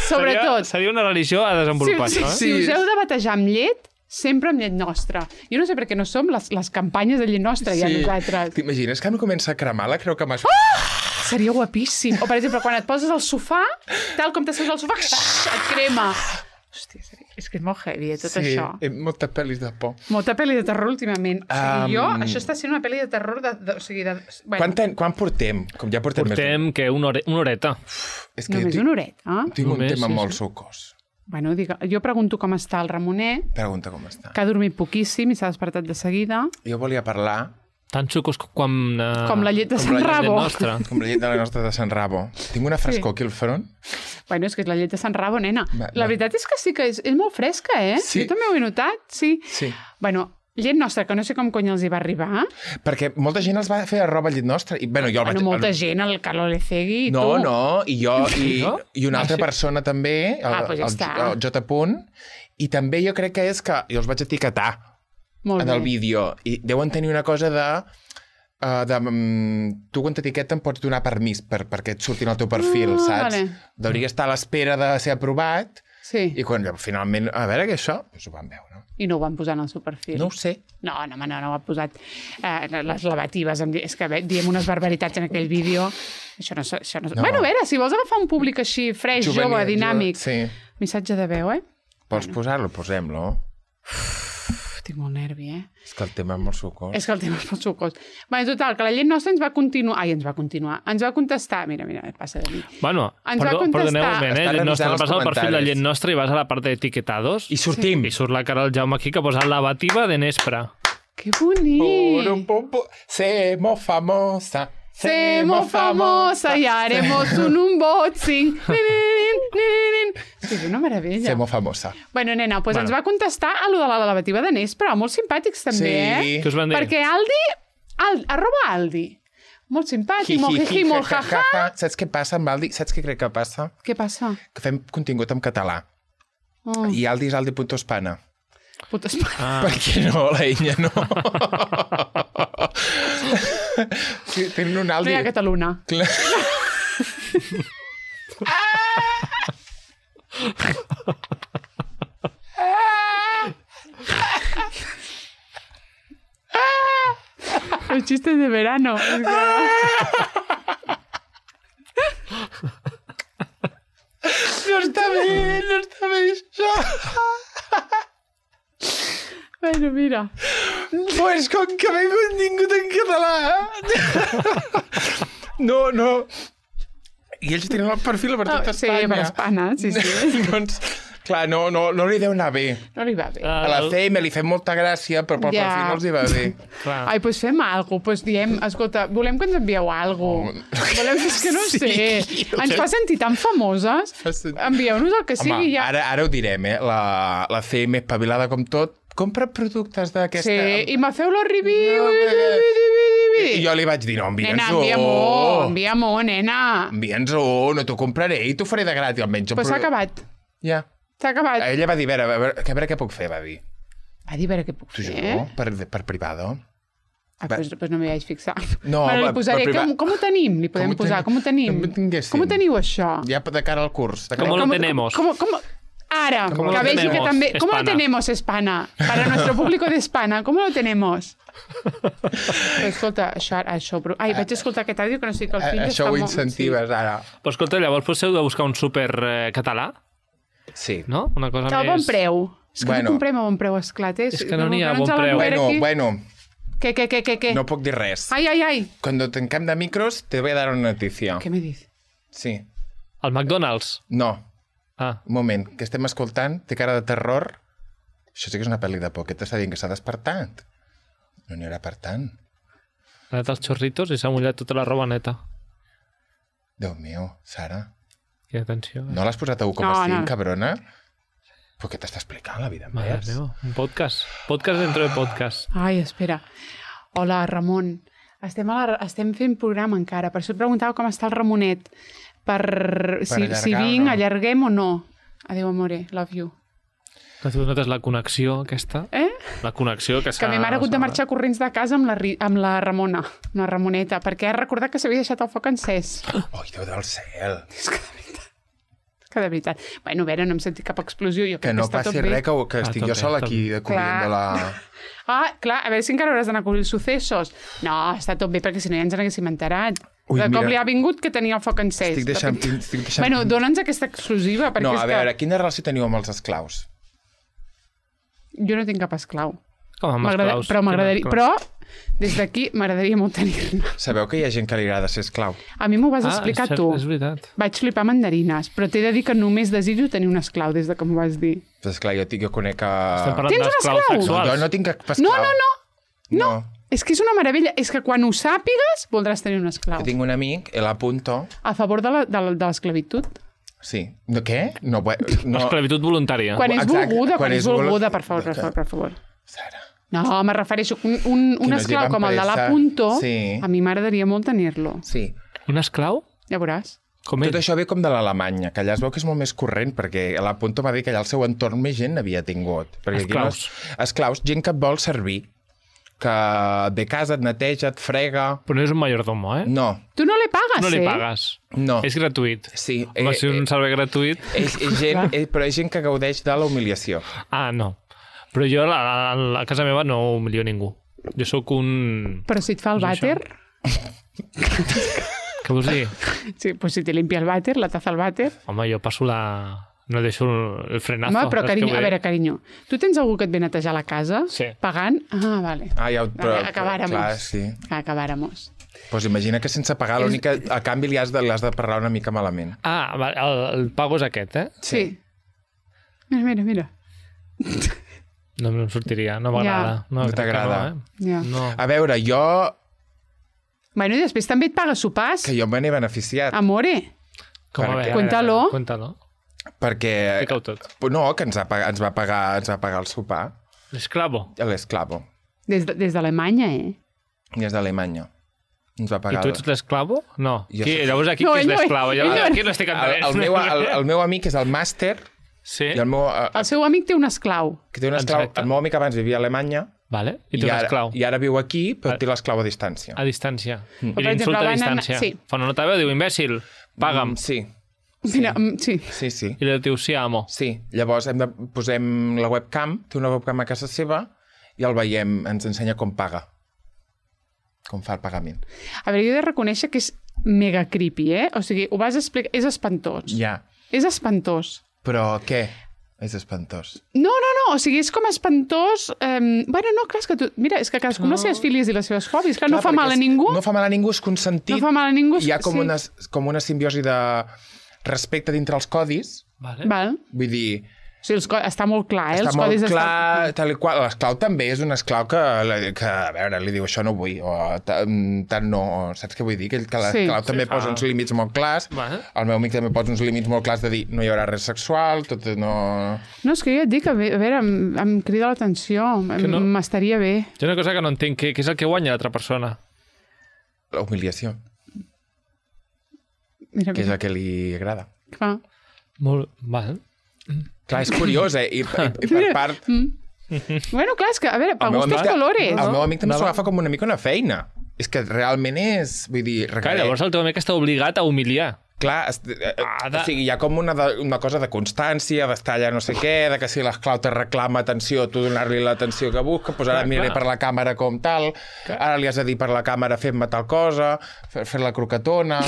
Sobretot... Seria una religió a desenvolupar, no? Si us heu de batejar amb llet, sempre amb llet nostra. Jo no sé per què no som les campanyes de llet nostra, ja nosaltres. T'imagines que em comença a cremar la creu que m'has... Seria guapíssim. O, per exemple, quan et poses al sofà, tal com t'asseus al sofà, et crema. Hòstia, és que és molt heavy, tot això. Sí, molta pel·lis de por. Molta pel·li de terror últimament. Això està sent una pel·li de terror Quan portem? Com ja portem que una horeta. Només una horeta? Tinc un tema molt sucós. Bueno, jo pregunto com està el Ramonet. Pregunta com està. Que ha dormit poquíssim i s'ha despertat de seguida. Jo volia parlar... Tan xucos com la llet de Sant Rabo. Com la llet de la nostra de Sant Rabo. Tinc una frescor aquí al front. Bueno, és que és la llet de Sant Rabo, nena. La veritat és que sí que és molt fresca, eh? Sí. Jo també ho he notat, sí. Bueno, llet nostra, que no sé com cony els hi va arribar. Perquè molta gent els va fer arroba llet nostra. I, bueno, jo el vaig... molta gent, el Carlo Lecegui i tu. No, i jo i una altra persona també, pues ja el J. I també jo crec que és que jo els vaig etiquetar en el vídeo. I deuen tenir una cosa de tu quan t'etiqueten pots donar permís perquè et surtin al teu perfil, saps? Vale. Hauria estar a l'espera de ser aprovat i quan finalment, a veure què això, doncs ho van veure. No? I no ho van posar en el seu perfil? No ho sé. No ho ha posat. Les lavatives, és que diem unes barbaritats en aquell vídeo. Això no. Bueno, a veure, si vols agafar un públic així, freix, jove, dinàmic. Missatge de veu, Vols posar-lo? Posem-lo. Estic molt nervi, És que el tema és molt sucós. Bueno, total, que la llet nostra ens va contestar... Mira, passa de mi. Bueno, perdoneu un moment, llet nostra, vas al perfil de llet nostra i vas a la part d'etiquetados. I sortim. I surt la cara del Jaume aquí que posa lavativa de Nespra. Que bonic! Semo famosa. Y haremos un unboxing. Sí, és una meravella. Semo famosa. Bueno, nena, doncs ens va contestar a lo de la lavativa de Nespra, molt simpàtics també, Què us van dir? Perquè @Aldi, molt simpàtic, molt jiji, molt jaja. Saps què passa amb Aldi? Saps què crec que passa? Què passa? Que fem contingut en català. I Aldi és Aldi.Espana. Per què no? La enya no. Sí, tenen un Aldi... No hi ha Catalunya. Clar. Los chistes de verano. No està bé això. Bueno, mira. Pues com que m'he contingut en català. No. I ells tenen el perfil per tot Espanya. Sí, per Espanya, sí. Doncs, clar, no li deu anar bé. No li va bé. A la CM li fem molta gràcia, però pel perfil no els hi va bé. Ai, doncs fem alguna cosa. Doncs diem, escolta, volem que ens envieu alguna cosa. Volem, és que no sé. Ens fa sentir tan famoses. Envieu-nos el que sigui. Home, ara ho direm, La CM espavilada com tot. Compra productes d'aquesta... Sí, i me feu la review. I jo li vaig dir, no, envia'ns-ho. Nena, envia-m'ho, nena. Envia'ns-ho, no t'ho compraré i t'ho faré de gratis, almenys. Però s'ha acabat. Ja. S'ha acabat. Ella va dir, a veure què puc fer, va dir. Va dir, a veure què puc fer? T'ho juro, per privado. Pues no m'hi vaig fixar. No, li posaré, com ho tenim? Li podem posar, com ho tenim? Com ho teniu, això? Ja de cara al curs. Com lo tenemos? Ahora, que vegi que també... ¿Cómo lo tenemos, Espana? Para nuestro público de Espana, ¿cómo lo tenemos? Escolta, això... Ai, vaig escoltar aquest àudio que no sé que el fill això ho incentives, ara. Però escolta, llavors potser heu de buscar un súper català? Sí. No? Una cosa més... A bon preu. És que no comprem a bon preu, esclat. És que no n'hi ha bon preu. Bueno. ¿Qué? No puc dir res. Ai. Cuando tanquem de micros, te voy a dar una noticia. ¿Qué me dices? Sí. El McDonald's? No. Un moment, que estem escoltant, té cara de terror. Això sí que és una pel·li de por. Què t'està dient, que s'ha despertat? No n'hi haurà per tant. Ha anat els xorritos i s'ha mullat tota la roba neta. Déu meu, Sara. Quina atenció. No l'has posat a 1,5, cabrona? Però què t'està explicant la vida més? Un podcast. Podcast dentro de podcast. Ai, espera. Hola, Ramon. Estem fent programa encara. Per això et preguntava com està el Ramonet. Si vinc, allarguem o no. Adéu, amore, love you. Que tu notes la connexió aquesta? La connexió que s'ha... Que a mi m'ha hagut de marxar corrents de casa amb la Ramona, amb la Ramoneta, perquè ha recordat que s'havia deixat el foc encès. Oi, Déu del cel! És que de veritat. Bueno, a veure, no hem sentit cap explosió. Jo que no passi res, que estic jo sol aquí de corrent de la... Clar, a veure si encara hauràs d'anar a cobrir els successos. No, està tot bé, perquè si no ja ens n'haguéssim enterat. Com li ha vingut que tenia el foc encès. Estic deixant... Bueno, dona'ns aquesta exclusiva. No, a veure, quina relació teniu amb els esclaus? Jo no tinc cap esclau. Com amb esclaus. Però m'agradaria... Però des d'aquí m'agradaria molt tenir-ne. Sabeu que hi ha gent que li agrada ser esclau? A mi m'ho vas explicar tu. És veritat. Vaig flipar mandarines, però t'he de dir que només desitjo tenir un esclau des de que m'ho vas dir. Però esclar, jo conec que... Estem parlant d'esclaus sexuals. Jo no tinc cap esclau. No. És que és una meravella. És que quan ho sàpigues voldràs tenir un esclau. Jo tinc un amic, el apunto... A favor de l'esclavitud. Sí. Què? No. Esclavitud voluntària. Quan és volguda, per favor. Sara. No, me refereixo un esclau com el de l'Apunto, a mi m'agradaria molt tenir-lo. Sí. Un esclau? Ja veuràs. Tot això ve com de l'Alemanya, que allà es veu que és molt més corrent, perquè a l'Apunto va dir que allà al seu entorn més gent n'havia tingut. Esclaus. Esclaus, gent que et vol servir, que de casa et neteja, et frega... Però no és un mayordomo, eh? No. Tu no li pagues, No li pagues. No. És gratuït. Sí. Va ser un servei gratuït. Però és gent que gaudeix de la humiliació. Ah, no. Però jo a casa meva no humilio ningú. Jo sóc un... Però si et fa el vàter... Què vols dir? Sí, pues si te limpia el vàter, la taza al vàter... Home, jo passo la... No deixo el frenazo. Home, però carinyo, a veure, carinyo, tu tens algú que et ve a netejar la casa? Sí. Pagant? Ah, vale. Però, acabáramos. Clar, sí. Acabáramos. Pues imagina que sense pagar, l'única... A canvi li has de parlar una mica malament. Ah, el pago és aquest, eh? Sí. Mira. No em sortiria, no m'agrada. No t'agrada. No. A veure, jo... Bueno, i després també et paga sopars. Que jo me n'he beneficiat. Amore. Com a veure? Cuéntalo. Perquè... Explica-ho tot. No, que ens va pagar el sopar. L'esclavo. L'esclavo. Des d'Alemanya, Des d'Alemanya. Ens va pagar... I tu ets l'esclavo? No. Llavors aquí qui és l'esclavo? Aquí no estic entenent. El meu amic és el màster. Sí. I el seu amic té un esclau. El meu amic abans vivia a Alemanya. Vale. I té un esclau. I ara viu aquí, però té l'esclau a distància. A distància. I l'insulta a distància. Fa una nota veu, diu, imbècil, paga'm. Sí. Mira, sí. Sí. I li diu, sí, amo. Sí. Llavors posem la webcam, té una webcam a casa seva, i el veiem, ens ensenya com paga. Com fa el pagament. A veure, jo he de reconèixer que és mega creepy, O sigui, ho vas explicar... És espantós. Ja. És espantós. Però què? És espantós. No, o sigui, és com espantós... Bueno, no, clar, és que tu... Mira, és que cadascú amb les seves filies i les seves hobbies, que no fa mal a ningú. No fa mal a ningú, és consentit. No fa mal a ningú. Hi ha com una simbiosi de respecte dintre els codis. Val. Vull dir... O sigui, està molt clar, els codis estan... Està molt clar, tal i qual. L'esclau també és un esclau que, a veure, li diu, això no vull, o tant no, saps què vull dir? Que l'esclau també posa uns límits molt clars, el meu amic també posa uns límits molt clars de dir, no hi haurà res sexual, tot no... No, és que jo et dic, a veure, em crida l'atenció, m'estaria bé. Hi ha una cosa que no entenc, què és el que guanya l'altra persona? La humiliació. Que és el que li agrada. Clar. Molt... Val. Clar, és curiós, I per part... Bueno, clar, és que, a veure, per gustos colores. El meu amic també s'ho agafa com una mica una feina. És que realment és... Vull dir... Clar, llavors el teu amic està obligat a humiliar. Clar, o sigui, hi ha com una cosa de constància, d'estar allà no sé què, de que si l'esclau te reclama atenció, tu donar-li l'atenció que busca, doncs ara miraré per la càmera com tal, ara li has de dir per la càmera fem-me tal cosa, fer la croquetona...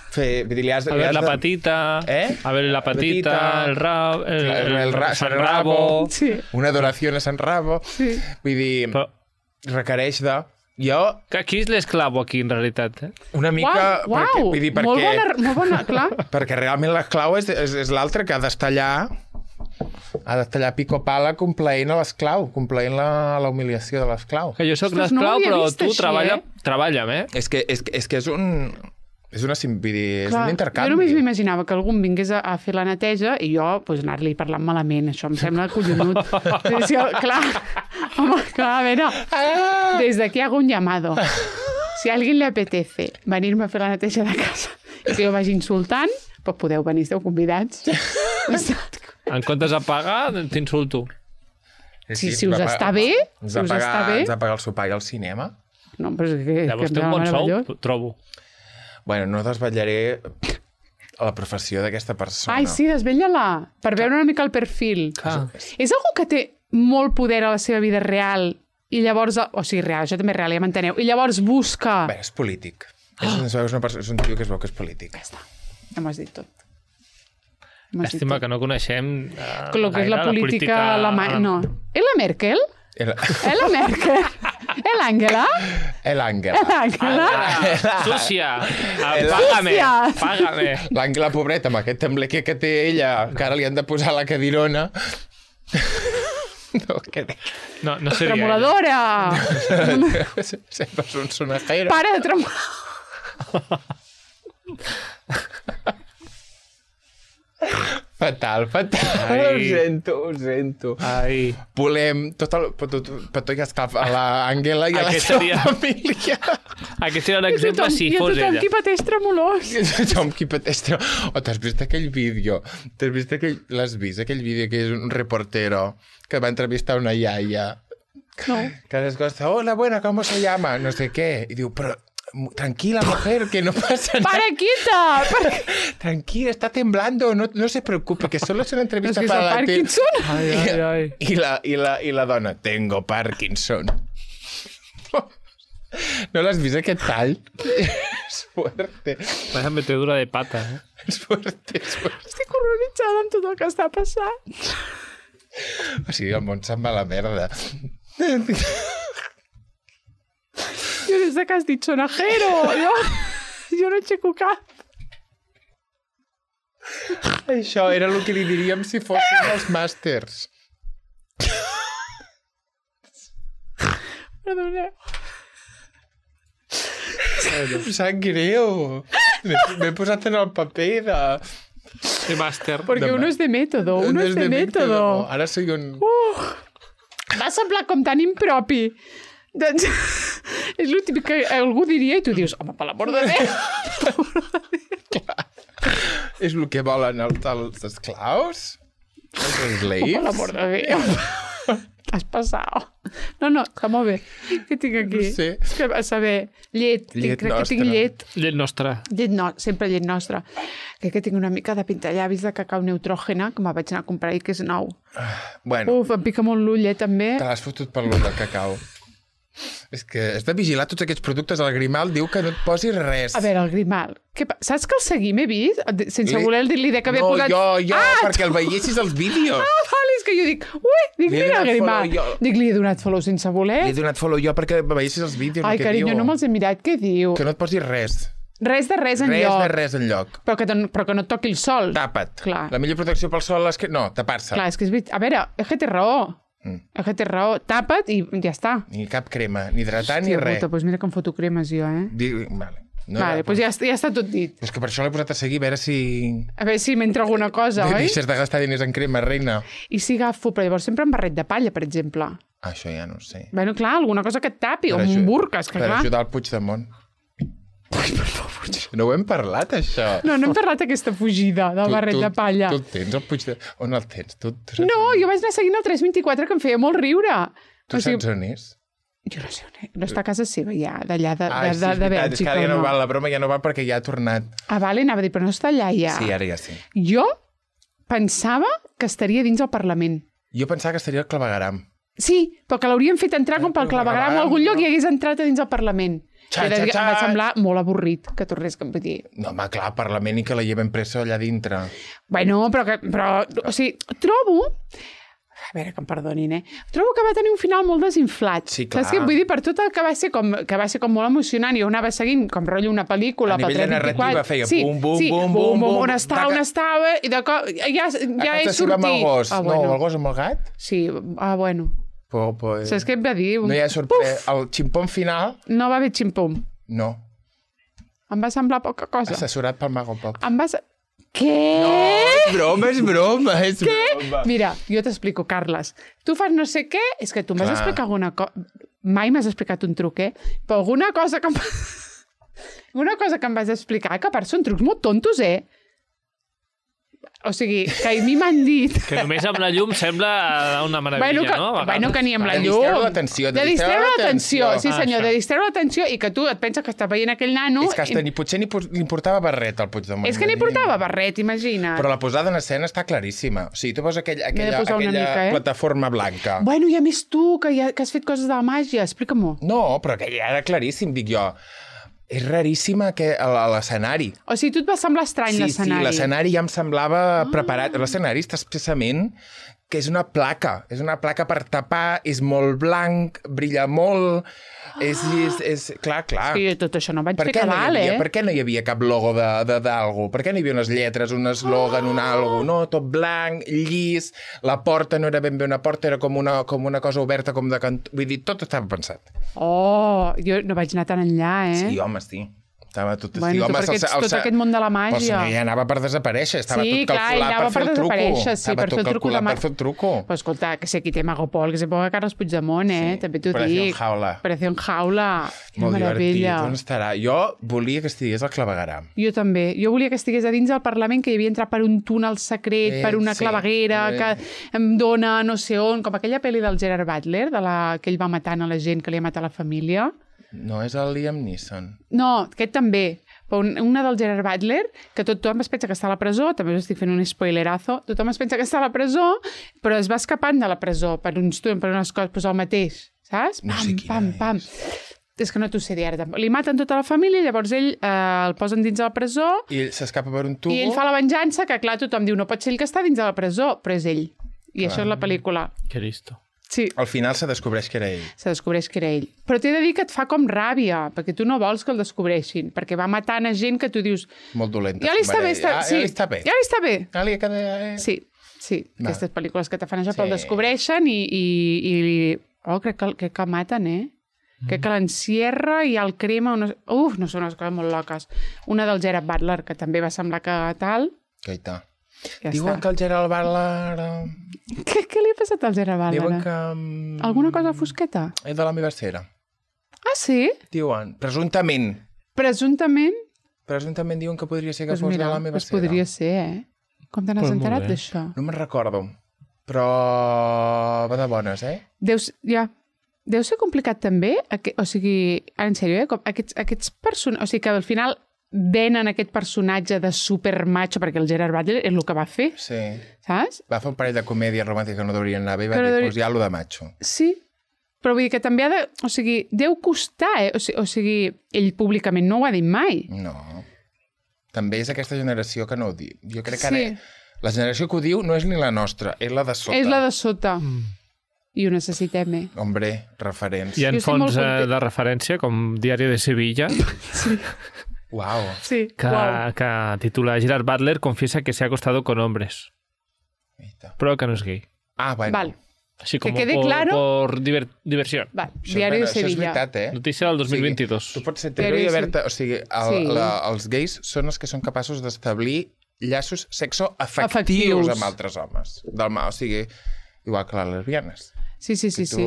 A ver la patita, a ver la patita, el San Rabo, sí. Una adoració a San Rabo. Sí. Vull dir, requereix de... Qui és l'esclavo aquí, en realitat? Una mica... Uau, vull dir, molt bona, clar. Perquè realment l'esclau és l'altre que ha d'estar allà pico pala complaent a l'esclau, complaent la humiliació de l'esclau. Que jo soc l'esclau, però tu treballa'm, És que és un... És un intercanvi. Jo només m'imaginava que algú em vingués a fer la neteja i jo anar-li parlant malament. Això em sembla collonut. Clar, home, clar, a veure, des d'aquí hago un llamado. Si a alguien le apetece venir-me a fer la neteja de casa i que jo vagi insultant, pues podeu venir, esteu convidats. En comptes de pagar, t'insulto. Si us està bé, ens va pagar el sopar i el cinema. No, però és que... Llavors té un bon sou, trobo. Bueno, no desvetllaré la professió d'aquesta persona. Ai, sí, desvetlla-la, per veure una mica el perfil. És algú que té molt poder a la seva vida real i llavors... O sigui, real, això també és real, ja m'enteneu. I llavors busca... Bé, és polític. És un tio que es veu que és polític. Ja està, ja m'ho has dit tot. Llàstima que no coneixem el que és la política alemanya. No. És la Merkel? La Merkel? L'Àngela? L'Àngela. Súcia. Pàgame. L'Àngela, pobreta, amb aquest temblequer que té ella, que ara li han de posar la cadirona. No seria tremoladora. Sempre és un sonajero. Para de tremolar. Fatal. Ho sento. Ai. Volem tot ja està a l'Àngela i a la seva família. Aquest seria un exemple si fos ella. I tothom qui pateix tremolors. Tothom qui pateix tremolors. T'has vist aquell vídeo? L'has vist, aquell vídeo que és un reportero que va entrevistar una iaia? No. Que les costa, hola, buena, ¿cómo se llama? No sé qué. I diu, però tranquila, mujer, que no pasa nada. ¡Para, Tranquila, está temblando, no se preocupe, que solo es una entrevista para la Parkinson. Ai. I la dona, tengo Parkinson. ¿No l'has vist, aquest tall? És fuerte. Vaya metedura de pata, És fuerte. Estic horroritzada amb tot el que està passant. O sigui, el món se'n va a la merda. Jo des que has dit sonajero, jo no aixeco cap. Això era el que li diríem si fossin els màsters. Perdoneu. Em sap greu. M'he posat en el paper de màster. Perquè uno és de método, Ara soy un... Va semblar com tan impropi. Doncs és el típic que algú diria i tu dius, home, per l'amor de Déu. Clar. És el que volen els esclaus? Els slaves? Per l'amor de Déu. Has passat. No, està molt bé. Què tinc aquí? No sé. És que a saber, llet. Crec que tinc llet. Llet nostra. Sempre llet nostra. Crec que tinc una mica de pintallavis de cacau neutrògena, que me'l vaig anar a comprar i que és nou. Bueno. Em pica molt l'ull, també. Te l'has fotut per l'ull del cacau. És que has de vigilar tots aquests productes. El Grimal diu que no et posis res. A veure, el Grimal. Saps que el seguim, he vist? Sense voler dir-li que havia posat... No, perquè el veiessis als vídeos. Vale, és que jo dic, mira el Grimal. Dic, li he donat follow sense voler. Li he donat follow jo perquè veiessis els vídeos. Ai, carinyo, no me'ls he mirat. Què diu? Que no et posis res. Res de res enlloc. Però que no et toqui el sol. Tapa't. Clar. La millor protecció pel sol és que... No, tapar-se. Clar, és que és veritat. A veure, és que té raó. És que té raó. Tapa't i ja està. Ni cap crema, ni hidratant, ni res. Doncs mira que em foto cremes jo, Vale. Vale, doncs ja està tot dit. És que per això l'he posat a seguir, a veure si m'entra alguna cosa, oi? Deixes de gastar diners en crema, reina. I si agafo, però llavors sempre amb barret de palla, per exemple. Això ja no ho sé. Bueno, clar, alguna cosa que et tapi, o un burques, que clar. Per ajudar el Puigdemont. Ai, per favor. No ho hem parlat, això. No hem parlat aquesta fugida del barret de palla. Tu el tens, el Puigdemont? On el tens? No, jo vaig anar seguint el 324, que em feia molt riure. Tu saps on és? Jo no sé on és. No està a casa seva, ja, d'allà de Bèlgica. És que ara ja no val, la broma ja no val perquè ja ha tornat. Vale, anava a dir, però no està allà ja. Sí, ara ja sí. Jo pensava que estaria dins el Parlament. Jo pensava que estaria al clavegueram. Sí, però que l'haurien fet entrar com pel claveguram o algun lloc i hagués entrat a dins el Parlament. Em va semblar molt avorrit que tornés a dir. No, home, clar, Parlament i que la lleven pressa allà dintre. Bueno, però o sigui, trobo... A veure, que em perdonin, Trobo que va tenir un final molt desinflat. Sí, clar. Saps què? Vull dir, per tot el que va ser com molt emocionant, jo anava seguint com rotllo una pel·lícula... A nivell de narrativa feia bum, on estava, i de cop ja he sortit. Amb el gos. No, el gos amb el gat? Sí, bueno... Saps què em va dir? No hi ha sorprès. El ximpom final... No va haver ximpom. No. Em va semblar poca cosa. Assessorat pel Mago Pop. Què? No, és broma. Què? Mira, jo t'explico, Carles. Tu fas no sé què, és que tu m'has explicat alguna cosa... Mai m'has explicat un truc, Però alguna cosa que em vas explicar, que a part són trucs molt tontos, O sigui, que a mi m'han dit... Que només amb la llum sembla una meravella, no? Bueno, que ni amb la llum. De distreure l'atenció. De distreure l'atenció, sí senyor, de distreure l'atenció i que tu et penses que estàs veient aquell nano... És que potser ni portava barret al Puigdemont. És que ni portava barret, imagina't. Però la posada en escena està claríssima. O sigui, tu poses aquella plataforma blanca. Bueno, i a més tu, que has fet coses de la màgia, explica-m'ho. No, però aquella era claríssim, dic jo. És raríssima l'escenari. O sigui, tu et va semblar estrany l'escenari. Sí, l'escenari ja em semblava preparat. L'escenari està expressament que és una placa per tapar, és molt blanc, brilla molt, és clar. Sí, tot això no vaig fer cabal, Per què no hi havia cap logo d'algú? Per què no hi havia unes lletres, un eslògan, un algo? No, tot blanc, llis, la porta no era ben bé una porta, era com una cosa oberta, com de cantó. Vull dir, tot estava pensat. Jo no vaig anar tan enllà, Sí, home, sí. Estava tot... Bueno, tot aquest món de la màgia. Però ja anava per desaparèixer, estava tot calculat per fer el truco. Estava tot calculat per fer el truco. Però escolta, que sé qui té Mago Pol, que se ponga Carles Puigdemont, també t'ho dic. Operación Jaula. Molt divertit. On estarà? Jo volia que estigués al clavegueram. Jo també. Jo volia que estigués a dins del Parlament, que hi havia entrat per un túnel secret, per una claveguera, que em dona no sé on, com aquella pel·li del Gerard Butler, que ell va matant a la gent, que li ha matat la família. No és el Liam Neeson. No, aquest també. Però una del Gerard Butler, que tothom es pensa que està a la presó, també us estic fent un spoilerazo, tothom es pensa que està a la presó, però es va escapant de la presó per unes coses, doncs el mateix, saps? No sé pam. És que no t'ho sé dir ara. Li maten tota la família, llavors ell el posen dins de la presó... I ell s'escapa per un tubo... I ell fa la venjança, que clar, tothom diu, no pot ser ell que està dins de la presó, però és ell. I això és la pel·lícula. Que listo. Sí. Al final se descobreix que era ell. Se descobreix que era ell. Però t'he de dir que et fa com ràbia, perquè tu no vols que el descobreixin, perquè va matant a gent que tu dius... Molt dolenta. Ja li està bé. Ja li està bé. Ja li queda... Sí. Aquestes pel·lícules que te fan això, però el descobreixen i... crec que el maten, Crec que l'encierra i el crema... No són unes coses molt loques. Una del Gerard Butler, que també va semblar que tal... Caità. Ja diuen que el Gerard Butler... Què li ha passat al Gerard Butler? Diuen que... Alguna cosa fosqueta? És de la meva esfera. Ah, sí? Diuen, presumptament. Presumptament? Presumptament diuen que podria ser que fos de la meva esfera. Podria ser, Com te n'has enterat d'això? No me'n recordo, però va de bones, Deu ser complicat també, o sigui, en sèrio, aquests personatges, o sigui, que al final venen aquest personatge de supermacho, perquè el Gerard Butler és el que va fer, saps? Va fer un parell de comèdies romàntiques que no deurien anar bé i va dir, doncs ja lo de macho. Sí, però vull dir que també ha de... O sigui, deu costar, O sigui, ell públicament no ho ha dit mai. No. També és aquesta generació que no ho diu. Jo crec que ara la generació que ho diu no és ni la nostra, és la de sota. És la de sota. I ho necessitem, Hombre, referents. Hi ha fons de referència, com Diari de Sevilla. Sí. Wow. Sí, que titula Gerard Butler confiesa que se ha acostado con hombres. Però que no és gay. Ah, bueno. Val. Així com por diversión. Val. Diari de Sevilla. Això és veritat, Notícia del 2022. O sigui, tu pots ser hetero i haver-te... O sigui, els gais són els que són capaços d'establir llaços sexoafectius amb altres homes. O sigui, igual que les lesbianes. Sí.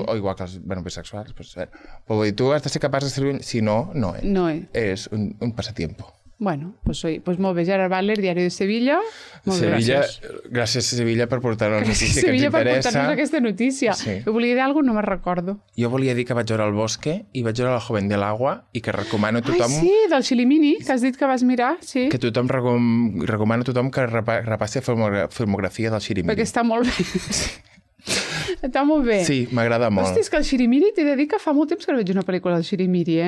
O igual que els bisexuals. Però tu has de ser capaç de servir... Si no, no és. No és. És un pasatiempo. Bueno, pues molt bé, Gerard Butler, Diari de Sevilla. Gràcies a Sevilla per portar-nos la notícia que ens interessa. Per portar-nos aquesta notícia. Jo volia dir alguna cosa, no me'n recordo. Jo volia dir que vaig veure El Bosque i vaig veure La Joven del Agua i que recomano a tothom... Sí, del Xilimini, que has dit que vas mirar, sí. Que tothom recomano a tothom que repassi la filmografia del Xilimini. Perquè està molt bé. Està molt bé. Sí, m'agrada molt. Hosti, és que el Xirimiri, t'he de dir que fa molt temps que no veig una pel·lícula del Xirimiri,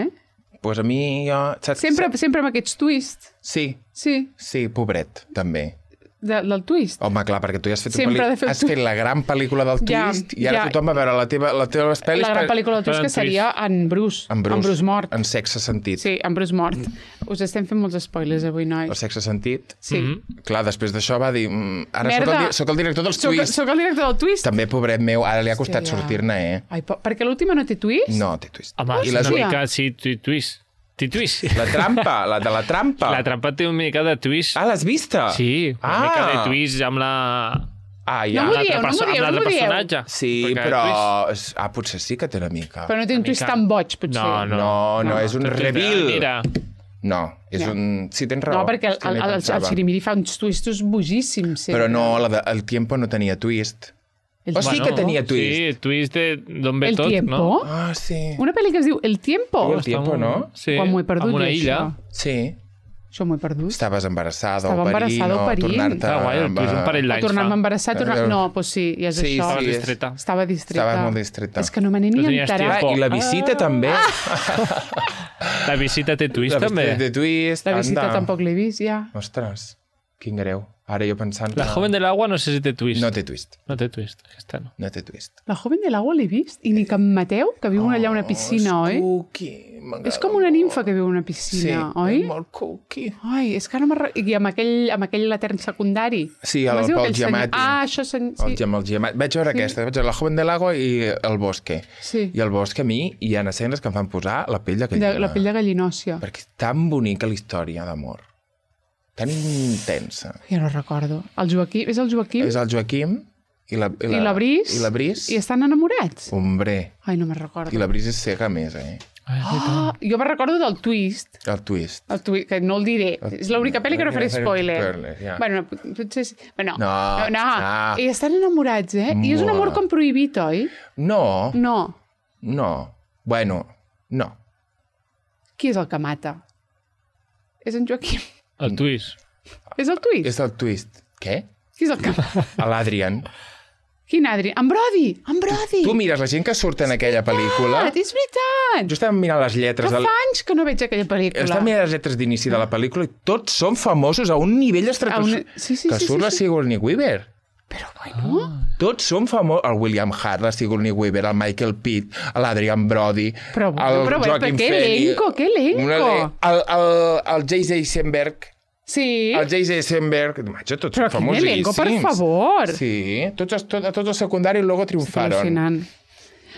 Pues a mi, jo... Sempre amb aquests twists. Sí, pobret, també. Del twist? Home, clar, perquè tu ja has fet la gran pel·lícula del twist i ara tothom va veure la teva pel·lis... La gran pel·lícula del twist que seria en Bruce. En Bruce mort. En Sexe Sentit. Sí, en Bruce mort. Us estem fent molts spoilers avui, nois. El Sexe Sentit? Sí. Clar, després d'això va dir... Ara soc el director dels twists. Soc el director del twist. També, pobret meu, ara li ha costat sortir-ne, Ai, perquè l'última no té twist? No, té twist. Home, és una mica, sí, twist. La trampa, la de la trampa. La trampa té una mica de twist. Ah, l'has vista? Sí, una mica de twist amb la... No m'ho dieu. Personatge. Sí, però... potser sí que té una mica. Però no té un twist tan boig, potser. No, és un reveal. No, és un... Sí, tens raó. No, perquè el Xirimiri fa uns twistos bojíssims. Però no, El Tiempo no tenia twist. Sí que tenia twist. Sí, twist d'on ve tot, no? El Tiempo? Ah, sí. Una pel·li que es diu El Tiempo. El Tiempo, no? Sí, quan m'ho he perdut, amb una illa. Sí. Això m'ho he perdut. Estaves embarassada o parint, tornar-te... guai, el twist un parell d'anys. Tornar-me embarassada, No, doncs sí, ja és això. Estava distreta. Estava molt distreta. És que no me n'he ni enterat. I la visita també. La visita té twist, també. Té twist, La visita tampoc l'he vist, ja. Ostres, quin greu. Ara jo pensant... La joven del agua no sé si té twist. No té twist. No té twist, aquesta no. No té twist. La joven del agua l'he vist, i ni que en Mateu, que viu allà a una piscina, oi? És com una nimfa que viu a una piscina, oi? Sí, molt cookie. Ai, és que no I amb aquell latern secundari. Sí, el Pol Giamatti. Això... Sí. El Giamatti. Vaig veure aquesta, vaig veure La joven del agua i El bosque. Sí. I El bosque a mi hi ha escenes que em fan posar la pell de gallina. La pell de gallinòcia. Perquè és tan bonica la història d'amor. Tan intensa. Ja no recordo. És el Joaquim? És el Joaquim i la Bris. I la Bris. I estan enamorats? Hombre. Ai, no me'n recordo. I la Bris és cega més, Jo me'n recordo del twist. El twist. Que no el diré. És l'única pel·li que no faré spoiler. Ja. Bueno, potser... Bueno, no. I estan enamorats, I és un amor com prohibit, oi? No. No. Bueno, no. Qui és el que mata? És en Joaquim. El twist. És el twist? És el twist. Què? Qui és el que mata? L'Adrian. Quin Adrian? En Brody! Tu mires la gent que surt en aquella pel·lícula... És veritat! Jo estava mirant les lletres... Que fa anys que no veig aquella pel·lícula. Estava mirant les lletres d'inici de la pel·lícula i tots són famosos a un nivell estratosfèric. Que surt la Sigourney Weaver. Però bueno... Tots són famosos. El William Hart, la Sigourney Weaver, el Michael Pitt, l'Adrian Brody, el Joaquin Phoenix... Que elenco! El J.J. Eisenberg... Sí. El J.J. Eisenberg... Tots però són famosíssims. Però quin elenco, per favor! Sí, tots els secundaris luego triomfaron. Al·lucinant.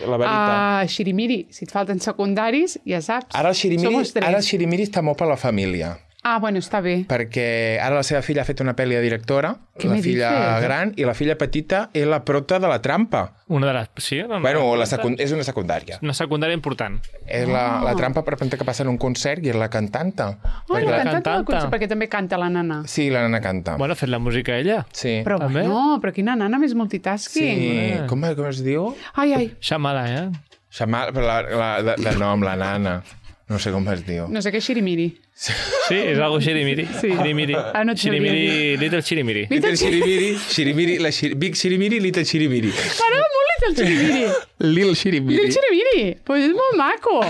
La veritat. Xirimiri, si et falten secundaris, ja saps. Ara el Xirimiri està molt per la família. Ah, bueno, està bé. Perquè ara la seva filla ha fet una pel·li de directora, la filla gran, i la filla petita és la prota de La trampa. Una de les... Sí? Bueno, és una secundària. Una secundària important. És la trampa per repente que passa en un concert i és la cantanta. La cantanta, perquè també canta la nana. Sí, la nana canta. Bueno, ha fet la música ella. Sí. Però però quina nana més multitasking. Sí, com es diu? Ai. Xamala, Xamala, de nom, la nana. No sé com es diu. No sé què és Xirimiri. Sí, és algo Xirimiri. Sí. Xirimiri. No Xirimiri, Little Xirimiri. Little Xirimiri, Big Xirimiri, Little Xirimiri. M'agrada molt Little Xirimiri. Little Xirimiri. Little Xirimiri. Pues és molt maco.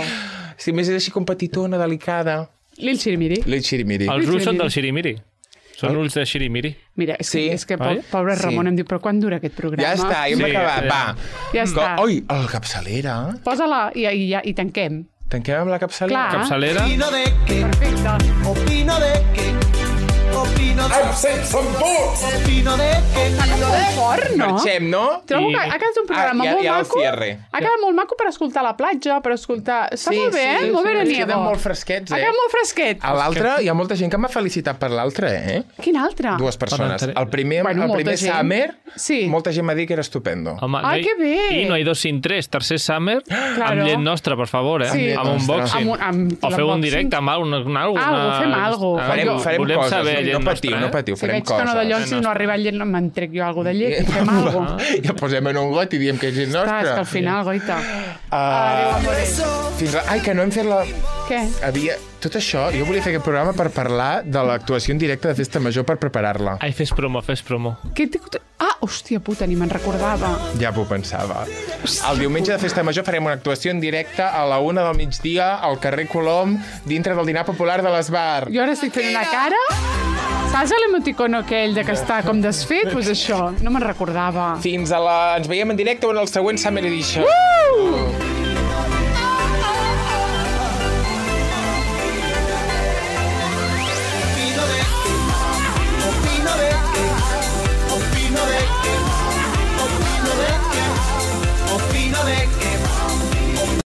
Sí, més és així com petitona, delicada. Little Xirimiri. Little Xirimiri. Els ulls són del Xirimiri. Són ulls de Xirimiri. Mira, és que pobre Ramon em diu, però quan dura aquest programa? Ja està, ja hem acabat, va. Ja està. Oi, el capçalera. Posa-la i tanquem. Tanquem amb la capçalera. Clar. Capçalera. Opino de que. Perfecte. Opino de que. Opino de que. Molt fort, no? Marxem, no? Trobo que ha quedat un programa molt maco. Ha quedat molt maco per escoltar a la platja, per escoltar... Està molt bé, molt veraniego. Queden molt fresquets, Ha quedat molt fresquet. A l'altre, hi ha molta gent que m'ha felicitat per l'altre, Quin altre? Dues persones. El primer Summer, molta gent m'ha dit que era estupendo. Ai, que bé! I no hay dos sin tres. Tercer Summer, amb llet nostra, per favor, amb unboxing. O feu un directe amb alguna cosa. Fem alguna cosa. Farem coses. No patiu, farem coses. Si veig que no de llocs, si no arriba llet, me'n trec jo alguna de llet i fem alguna cosa. Ja posem en un got i diem que és gent nostra. És que al final, goita. Ai, que no hem fet la... Què? Tot això, jo volia fer aquest programa per parlar de l'actuació en directe de Festa Major per preparar-la. Ai, fes promo. Hòstia puta, ni me'n recordava. Ja m'ho pensava. El diumenge de Festa Major farem una actuació en directe a la 1 del migdia al carrer Colom, dintre del dinar popular de l'Esbar. Jo ara estic fent una cara... Saps l'emoticono aquell de que està com desfet? Doncs això, no me'n recordava. Ens veiem en directe en el següent Summer Edition.